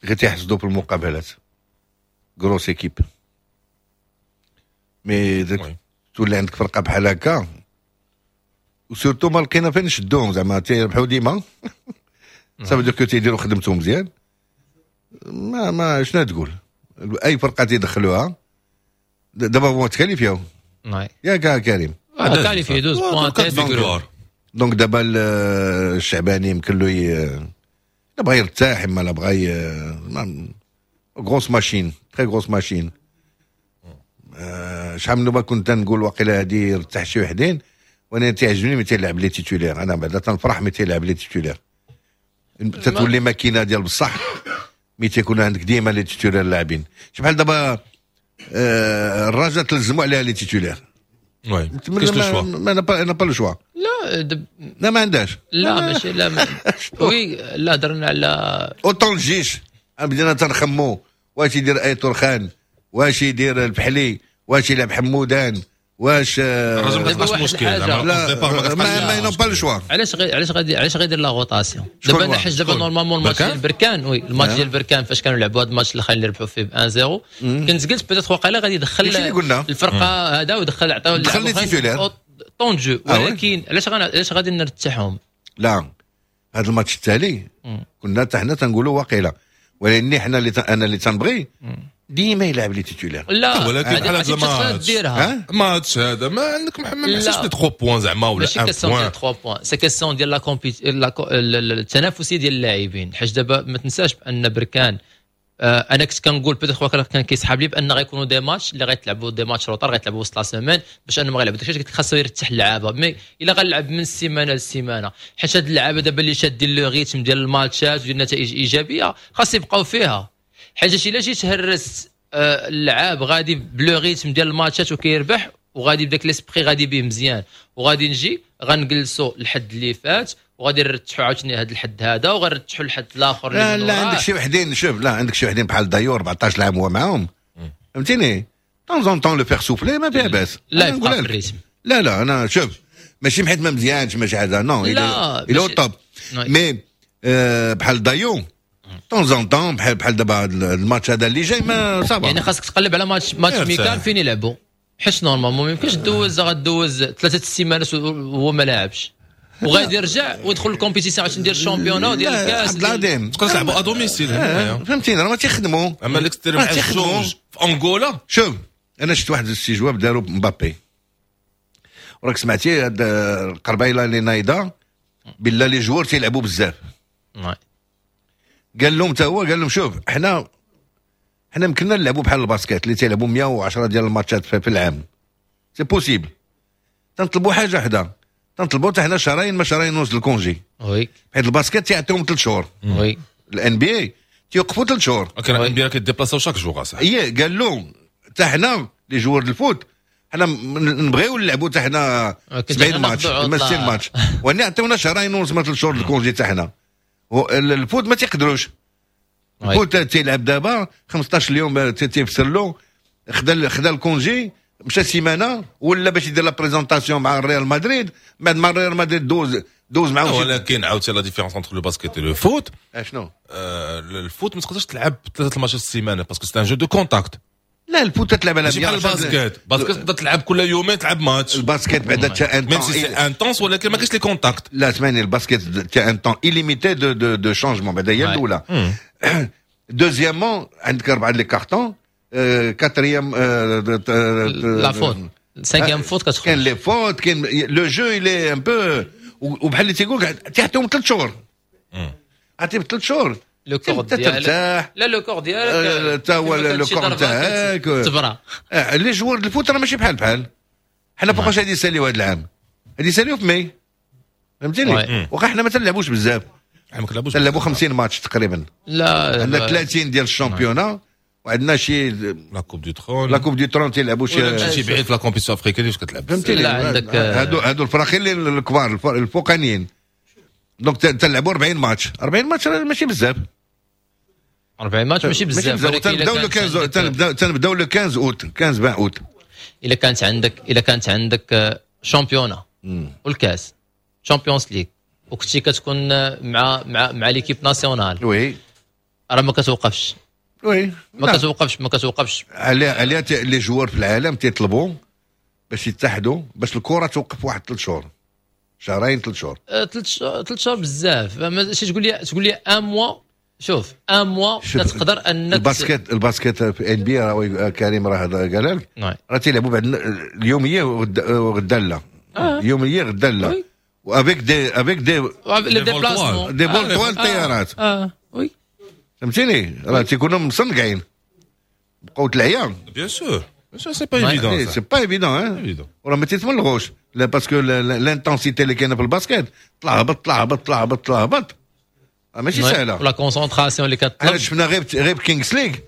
غير تيحسدوا في المقابلات، grosse équipe، mais تولي عندك فرقه بحال هكا و surtout ما لقينا فين نشدوهم، زعما تيربحوا ديما، ça veut dire que تيديروا خدمتهم مزيان. ما ما شنو تقول اي فرقه تيدخلوها دابا هو تكاليفياو ياك كريم؟ qualifiés douze points. donc دابا الشعباني يمكن له لا بغى يرتاح اما لا بغى grosse machine، très grosse machine. شحال من كنت نقول واقيلا هادي يرتاح شي وحدين، وانا تيعجبني ملي تيلعب les titulaires. انا بعدا تنفرح ملي تيلعب les titulaires، تتولي ماكينة ديال بصح ملي تيكون عندك ديما les titulaires لاعبين. بحال دابا الرجاء تلزموا عليها les titulaires. oui كاينش le choix. ما n'a pas le choix. لا دب... لا ما عندهاش. لا ماشي لا ما... oui لا درنا على autant الجيش بدينا تنخمو واش يدير ايتور خان، واش يدير البحلي، واش يلعب حمودان، واش الرجل ما تبقاش مشكل. لا ما n'ont pas le choix. علاش غي علاش غادي علاش غيدير la rotation دابا؟ انا حيت دابا normalement الماتش ديال بركان، oui الماتش ديال بركان فاش كانوا لعبوا هذا الماتش الاخر اللي ربحوا فيه ب واحد صفر، كنت قلت peut-être واقيلا غادي يدخل الفرقة هذا ودخل عطاو دخل temps de jeu، ولكن علاش علاش غادي نرتاحهم؟ لا هذا الماتش التالي كنا حتى حنا تنقولوا واقيلا، ولكن حنا اللي انا اللي تنبغي ديما يلعب les titulaires. لا ولكن بحال هذا الماتش ماتش هذا ما عندك ما محسش لي ثلاثة points زعما ولا ماشي question ديال ثلاثة points، c'est question ديال la compét التنافسية ديال اللاعبين. حيت دابا ما تنساش بان بركان انا كنت كنقول peut-être كان كيسحاب لي بان غيكونوا des matchs اللي غيتلعبوا des matchs retard غيتلعبوا وسط la semaine باش انهم غيلعبوا داكشي قلت خاصو يرتاح اللعابه، mais الا غنلعب من السيمانة للسيمانه حيت هاد اللعابه دابا اللي شادين le rythme ديال الماتشات وديال النتائج الايجابية خاص يبقاو فيها. حيت الا جيت هرست اللعاب غادي ب le rythme ديال الماتشات وكيربح وغادي بداك l'esprit غادي به مزيان، وغادي نجي غنجلسوا الحد اللي فات وغادي نرتحوا عاوتاني هذا الحد هذا وغنرتحوا الحد الاخر. لا لا عندك شي وحدين، شوف لا عندك شي وحدين بحال دايور أربعطاش عام هو معاهم، فهمتيني؟ temps en temps le faire souffler ما فيها باس. لا يبقى في ال rythme. لا لا انا شوف ماشي حيت ما مزيانش ماشي حاجة، non il est top، mais بحال دايو temps en temps بحال بحال دابا الماتش هذا اللي جاي ما ça va. يعني خاصك تقلب على match match amical فين يلعبوا، حيت normalement ما يمكنش دوز غدوز ثلاثة السيمانات وهو ما لاعبش وغادي يرجع ويدخل ال compétition عشان ندير ال championnat ديال الكاس. عبد العظيم تقدر تلعبوا à domicile، فهمتيني راه ما تيخدموا. اما l'extérieur مع الجوج في انغولا. شوف انا شفت واحد الاستجواب داروا مبابي، وراك سمعتي هاد القربايله اللي نايضه بالله les joueurs تيلعبوا بزاف. قال لهم تا هو قال لهم شوف حنا حنا يمكننا نلعبوا بحال ال basket اللي تيلعبوا مية وعشرة ديال الماتشات في العام، c'est possible. تنطلبوا حاجة وحده، تنطلبوا حتى حنا شهرين ما شهرين ونص ال congé. oui حيت ال basket تيعطيهم ثلاث شهور. oui ال NBA تيوقفوا ثلاث شهور. كان ال NBA كيديبلاساو chaque jour صح. اي قال لهم حتى حنا les joueurs ال foot حنا نبغيو نلعبوا حتى حنا سبعين ماتش ما ستين ماتش، واني عطيونا شهرين ونص ما ثلاث شهور ال congé حتى حنا. ال foot ما تيقدروش، ال foot تيلعب دابا خمسطاش اليوم تيفسر له، خدا خدا ال congé مشى سيمانه ولا باش يدير la présentation مع الريال مدريد، بعد ما الريال مدريد دوز دوز معاهم. ولكن عاوتاني la différence entre le basket le foot اشنو؟ ال foot ما تقدرش تلعب ثلاثة الماتشات في السيمانة parce que c'est un jeu de contact. لا ال foot تلعب على ماشي بحال ال basket، ال basket تقدر تلعب كل يومين تلعب ماتش. ال basket بعدا تا un même si c'est intense ولكن ما كاينش les contacts. لا اسمعني ال basket t'as un temps illimité de de de changements بعدا هي الاولى. deuxièmement عندك اربعة les cartons، quatrième la faute، cinquième faute كتخرج. كاين les fautes، كاين le jeu il est un peu، وبحال اللي تيقول تيعطيهم ثلاث شهور، عطيهم ثلاث شهور le corps ديالك. لا le corps ديالك تا هو le corps تاعك تبرا. les joueurs ال foot راه ماشي بحال بحال حنا. فوقاش غادي يساليو هذا العام؟ غادي يساليو في ماي، فهمتيني؟ واخا حنا ما تنلعبوش بزاف، تنلعبوا خمسين ماتش تقريبا. لا عندنا ثلاثين ديال ال championnat وعندنا شي la coupe du trône، la coupe du trône تيلعبوا شي شي بعيد في la compétition africaine واش كتلعب، فهمتيني؟ لا عندك هادو هادو الفراقين الكبار الفوقانيين، donc تلعبوا أربعين ماتش. أربعين ماتش ماشي بزاف، أربعين ماتش ماشي بزاف. تنبداو le خمسطاش، تنبداو تنبداو le خمسطاش اوت، خمسطاش عشرين اوت. الا كانت عندك الا كانت عندك championnat والكاس Champions League وكنتي كتكون مع مع مع l'équipe nationale، oui راه ما كتوقفش. oui ما كتوقفش ما كتوقفش. على على les joueurs في العالم تيطلبوا باش يتحدوا باش الكره توقف واحد ثلاث شهور، شهرين ثلاث شهور. ثلاث شهور بزاف. ماشي تقول لي تقول لي un mois. شوف un mois تقدر انك ال basket ال basket في NBA راه كريم راه قال لك راه تيلعبوا بعد اليومية وغدا لا، يومية غدا لا، و avec des avec des les déplacements des vols طوال الطيارات. اه oui فهمتيني؟ راه تيكونوا مصنقعين بقوة العيا. bien sûr c'est pas évident، c'est pas évident. وراه ما تيتملغوش لا parce que l'intensité اللي كاينه في ال basket طلع هبط طلع هبط طلع هبط طلع هبط ماشي سهلة. la concentration اللي كتطلب. شفنا غير غير Kings League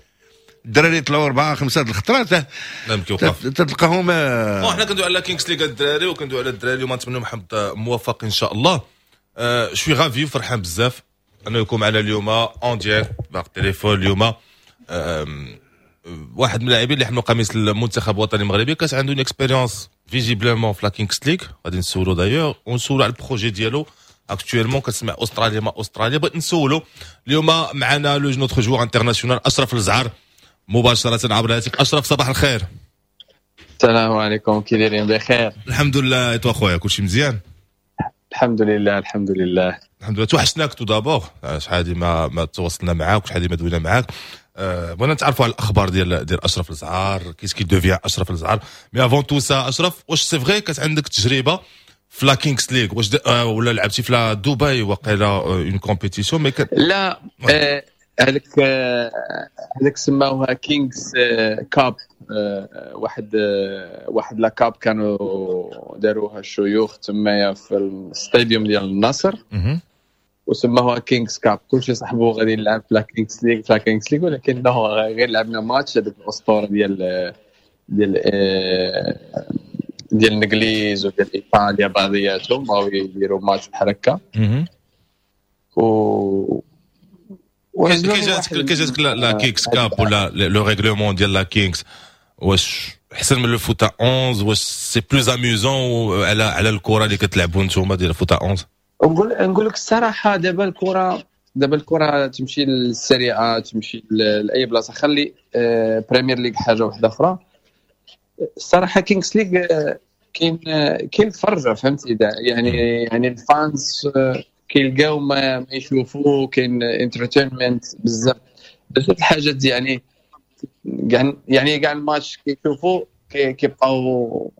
الدراري طلعوا اربعة خمسة الخطرات تلقاهم. حنا كندوي على Kings League الدراري وكندوي على الدراري وما نتمنوا محمد موفق ان شاء الله. je suis ravi وفرحان بزاف انه يكون معنا اليوم en direct par téléphone. اليوم واحد من اللاعبين اللي حملوا قميص المنتخب الوطني المغربي، كانت عنده une expérience visiblement في la Kings League. غادي نسولو d'ailleurs ونسولو على ال projet ديالو actuellement. كتسمع استراليا ما استراليا، بغيت نسولو اليوم معنا le notre joueur international اشرف الزعر مباشرة عبر الهاتف. اشرف صباح الخير. السلام عليكم، كي دايرين؟ بخير الحمد لله. et toi خويا كلشي مزيان؟ الحمد لله الحمد لله الحمد لله. توحشناك tout d'abord، شحال هادي ما ما تواصلنا معاك وشحال هادي ما دوينا معاك. أه بغينا نتعرفوا على الاخبار ديال ديال اشرف الزعار، qu'est-ce qui devient اشرف الزعار. mais avant tout ça اشرف، واش c'est vrai كانت عندك تجربه في la Kings League؟ واش آه ولا لعبتي في la دبي وقيلا une compétition mais لا هذاك هذاك سماوها Kings Cup، واحد واحد la coupe كانوا داروها الشيوخ تمايا في ال stadium ديال النصر وسموها Kings Cup. كلشي صاحبو غادي يلعب في la Kings League في la Kings League، ولكن غير لعبنا ماتش هذيك الاسطورة ديال ديال ديال الانجليز وديال ايطاليا بعضياتهم بغاو يديروا ماتش بحال هكا. و كي جاتك كي جاتك la Kings Cup ولا le règlement ديال la Kings؟ واش احسن من le foot à onze؟ واش c'est plus amusant على على الكره اللي كتلعبوا نتوما ديال foot à onze؟ نقول نقول لك الصراحه، دابا الكره دابا الكره تمشي لل Serie A، تمشي لاي بلاصه، خلي Premier League حاجة واحدة اخرى. الصراحة Kings League كاين كاين الفرجه، فهمتي؟ يعني يعني ال fans كيلقاو ما يشوفوا، كاين entertainment بزاف بزاف الحاجات، يعني يعني كاع الماتش كيشوفوا كيبقاو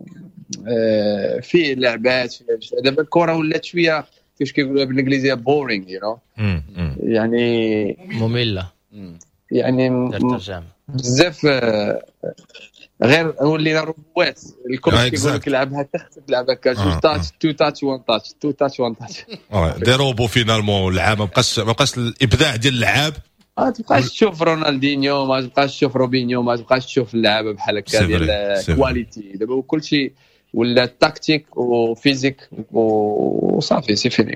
فيه لعبات. دابا الكره ولات شوية كيفاش كيقولوها بالانجليزية boring، you know، يعني مملة، يعني بزاف، غير ولينا روبوات. ال coach كيقول لك لعب هكا، خصك تلعب هكا، جوج touch، two touch، one touch، two touch، one touch. des robots finalement. اللعاب ما بقاش ما بقاش الابداع ديال اللعاب. ما تبقاش تشوف رونالدينيو، ما تبقاش تشوف روبينيو، ما تبقاش تشوف اللعابه بحال هكا ديال qualité. دابا كلشي ولا tactique و physique وصافي، c'est fini.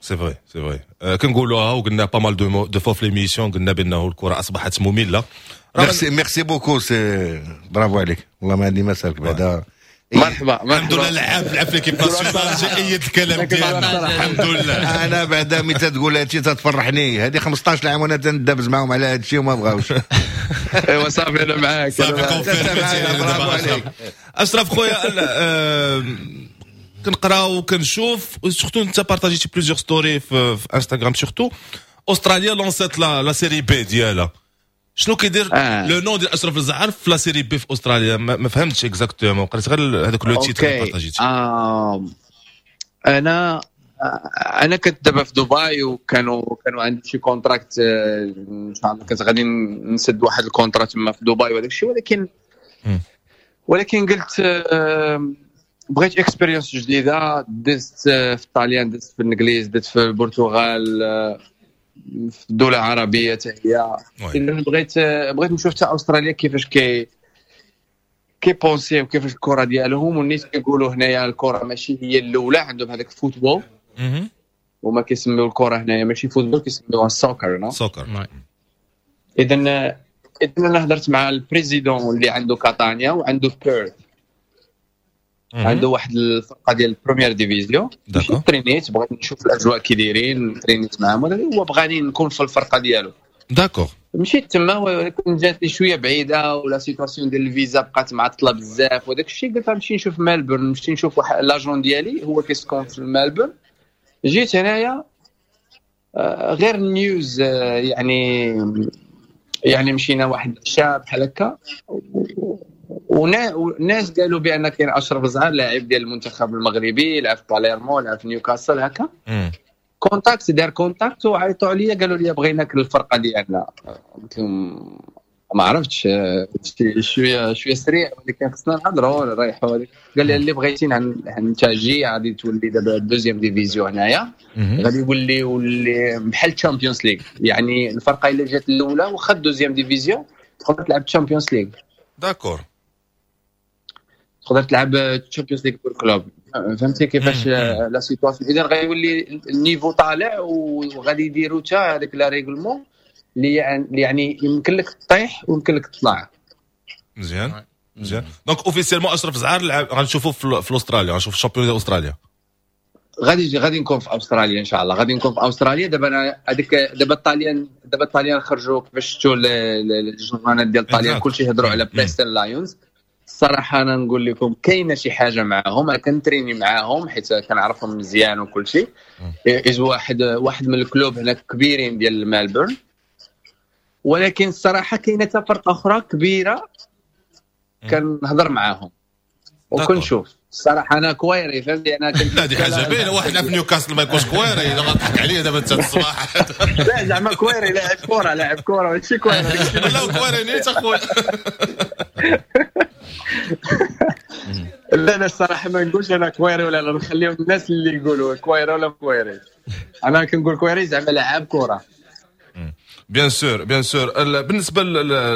c'est vrai، c'est vrai، كنقولوها وقلنا pas mal de de fois في l'émission، قلنا بانه الكره اصبحت ممله. merci، merci beaucoup، c'est bravo عليك، والله ما عندي ما سالك بعدا. مرحبا. الحمد لله، لعب لعب في l'équipe nationale، جا ايد الكلام ديالنا، الحمد لله. انا بعدا ملي تقول هادشي تتفرحني، هذه خمسطاش عام وانا تندبز معاهم على هادشي وما بغاوش. ايوا صافي، انا معاك. صافي، برافو عليك. اشرف خويا، كنقرا وكنشوف، surtout انت بارطاجيتي plusieurs stories في, في انستغرام، surtout استراليا لونسات la la Série B ديالها. شنو كيدير آه. le nom ديال اشرف الزعر في la Série B في استراليا؟ ما, ما فهمتش exactement، قريت غير هذاك le titre اللي بارطاجيتي. آه. انا انا كنت دابا في دبي وكانوا كانوا عندي شي contrat، ان شاء الله كنت غادي نسد واحد ال contrat تما في دبي وهذاك الشيء، ولكن ولكن قلت بغيت expérience جديده. دزت في الطاليان، دزت في الانجليز، دزت في البرتغال، في الدولة العربية حتى هي. اذا بغيت بغيت نشوف حتى استراليا كيفاش كي كي penser وكيفاش الكره ديالهم. والناس كيقولوا هنايا الكره ماشي هي الاولى عندهم، هذاك ال football، وما كيسميو الكره هنايا ماشي football، كيسميوها soccer، no؟ soccer. اذا اذا انا هضرت مع ال président اللي عنده كاتانيا وعنده بيرث، عنده واحد الفرقة ديال ال première division. ترينيت، بغيت نشوف الاجواء كي دايرين، ترينيت معاهم، هو بغاني نكون في الفرقة ديالو. d'accord. مشيت تما، ولكن جاتني شوية بعيدة و la situation ديال الفيزا بقات معطلة بزاف وداك الشيء. قلت نمشي نشوف ملبورن، نمشي نشوف واحد l'agent ديالي هو كيسكن في ملبورن. جيت هنايا آه، غير news، آه، يعني يعني مشينا واحد العشاء بحال هكا، وناس قالوا بان كاين اشرف زعر، لاعب ديال المنتخب المغربي، لعب في باليرمو، لعب في نيوكاسل هكا. contact، دار contact وعيطوا عليا، قالوا لي بغيناك الفرقة ديالنا. قلت لهم ما عرفتش، شوية شوية سريع، ولكن خصنا نهضروا نريحوا. قال لي اللي بغيتي، انت جي، غادي تولي دابا deuxième division هنايا، غادي يولي يولي بحال Champions League، يعني الفرقة الا جات الاولى واخا deuxième division تقدر تلعب Champions League. d'accord. تقدر تلعب Champions League pour club، فهمتي كيفاش la situation؟ اذا غيولي ال niveau طالع، وغادي يديروا حتى هذاك le règlement اللي يعني يمكن لك تطيح ويمكن لك تطلع. مزيان مزيان، donc officiellement اشرف زعار غنشوفوه في استراليا، غنشوف ال championnat ديال استراليا. غادي غادي نكون في استراليا ان شاء الله، غادي نكون في استراليا. دابا انا هذيك دابا الطاليان دابا الطاليان خرجوا، كيفاش شفتوا الجورنالات ديال الطاليان، كلشي هضروا على بريستون لايونز. الصراحة انا نقول لكم كاينه شي حاجة معاهم، انا كنتريني معاهم حيت كنعرفهم مزيان وكل شيء. از واحد واحد من ال clubs هناك كبيرين ديال مالبورن، ولكن الصراحة كاينه حتى فرقه اخرى كبيرة كنهضر معاهم وكنشوف. الصراحة انا كويري، فهمتي؟ انا كنت لا، دي حاجة باينه، واحد لعب في نيوكاسل ما يكونش كويري؟ غنضحك عليا دابا انت الصباح. لا، زعما كويري لاعب كره، لاعب كره، ماشي كويري. لا، كويري نيت اخويا. لا لا، الصراحة ما نقولش انا كويري ولا لا، نخليهم الناس اللي يقولوا كويري ولا كويري. انا كنقول كويري زعما لاعب كره. bien sûr، bien sûr. بالنسبة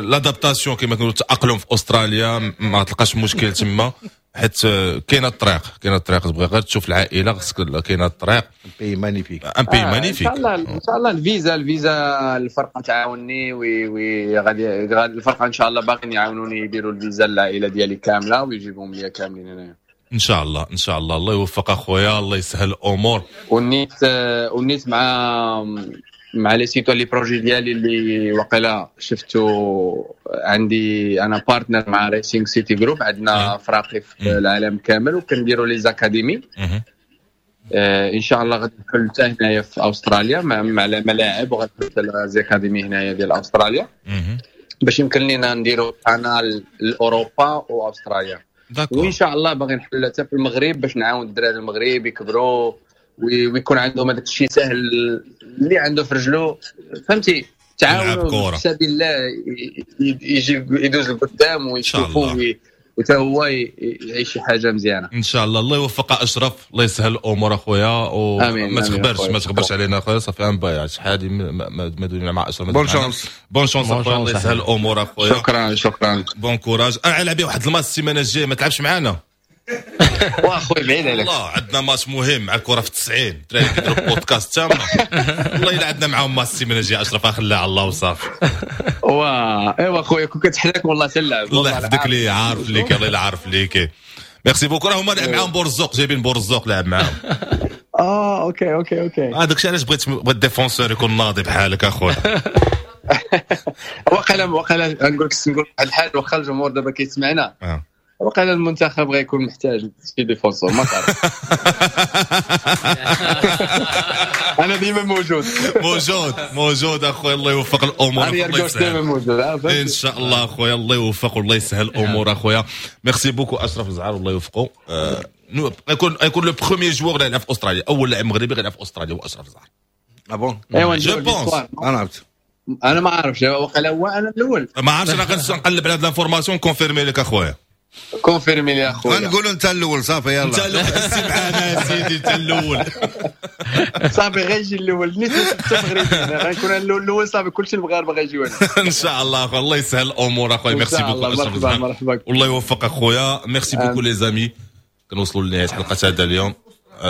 l'adaptation، كما كنقولوا التاقلم في استراليا، ما تلقاش مشكل تما؟ حيت كاينه الطريق، كاينه الطريق، تبغي غير تشوف العائلة خصك، كاينه الطريق. pays magnifique، un pays magnifique. ان شاء الله ان شاء الله الفيزا الفيزا الفرقة تعاوني، وي وي غادي الفرقة ان شاء الله باغيين يعاونوني يديروا الفيزا للعائلة ديالي كاملة ويجيبهم ليا كاملين هنايا ان شاء الله. ان شاء الله الله يوفق اخويا، الله يسهل الامور. ونيت ونيت مع مع les sites les projets ديالي اللي وقيلا شفتو عندي انا partenaire مع Racing City Group، عندنا فراقي في العالم كامل وكنديروا les académies. آه ان شاء الله غادي نحل حتى هنايا في استراليا مع مع الملاعب، وغادي نحل les académies هنايا ديال استراليا باش يمكن لينا نديروا قناة لاوروبا واستراليا. وان شاء الله باغي نحل حتى في المغرب باش نعاون الدراري المغرب يكبروا ويكون عندهم هذاك الشيء سهل اللي عنده في رجلو، فهمتي، تعاونوا في سبيل الله يجي يدوز لقدام ويشوفوا وتا هو يعيش شي حاجة مزيانه ان شاء الله. الله يوفق اشرف، الله يسهل الامور اخويا، وما تخبرش ما تخبرش علينا اخويا. صافي ان باي شحال ما دوينا مع اشرف. bonne chance، bonne chance اخويا، الله يسهل الامور اخويا. شكرا شكرا، bon courage. انا لعبي واحد الماتش السيمانة الجاية، ما تلعبش معانا؟ واخويا بعيد عليك. الله عندنا ماتش مهم مع الكره في التسعين، الدراري كيديروا بودكاست تما. والله الا عندنا معاهم ماتش السيمانة الجاية اشرف، خليها على الله وصافي. وا ايوا خويا كون كتحلاك والله تلعب. الله يحفظك لي، عارف ليك، الله الا عارف ليك. merci beaucoup. راه هما لعب معاهم بورزوق، جايبين بورزوق لعب معاهم. اه OK OK OK، هذاك الشيء علاش بغيت بغيت défenseur يكون ناضي بحالك اخويا. وقيلا وقيلا نقول لك نقول واحد الحاجة، واخا الجمهور دابا كيسمعنا، وقال المنتخب غيكون محتاج شي défenseur، ما تعرف. انا ديما موجود موجود موجود اخويا، الله يوفق الامور. انا ديما موجود ان شاء الله اخويا، الله يوفق والله يسهل الامور اخويا. merci beaucoup اشرف الزعار، الله يوفقه. غيكون غيكون le premier joueur اللي يلعب في استراليا، اول لاعب مغربي غيلعب في استراليا هو اشرف الزعار. ah bon ايوا je pense. انا عرفت، انا ما عارفش، وقال هو انا الاول ما عرفتش. انا غنقلب على هاد l'information confirmer لك اخويا. confirmer لي اخويا، غنقولوا انت الاول صافي. يلا انت الاول معنا يا سيدي، انت الاول صافي. غيجي الاول نيت حتى مغربي غنكون انا الاول صافي، كلشي المغاربة غيجيو هنا ان شاء الله اخويا. الله يسهل الامور اخويا. merci beaucoup، مرحبا مرحبا، والله يوفق اخويا. merci beaucoup les amis. كنوصلوا لنهاية حلقة هذا اليوم.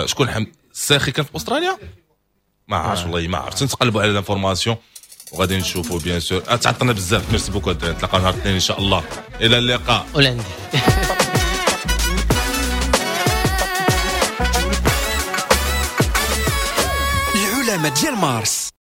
شكون حم الساخي كان في استراليا؟ ما عرفتش والله ما عرفت. نتقلبوا على l'information وغادي نشوفوا bien sûr. تعطلنا بزاف. merci beaucoup الدراري، نتلاقاو نهار الاثنين ان شاء الله. الى اللقاء. ولعندي العلماء ديال مارس.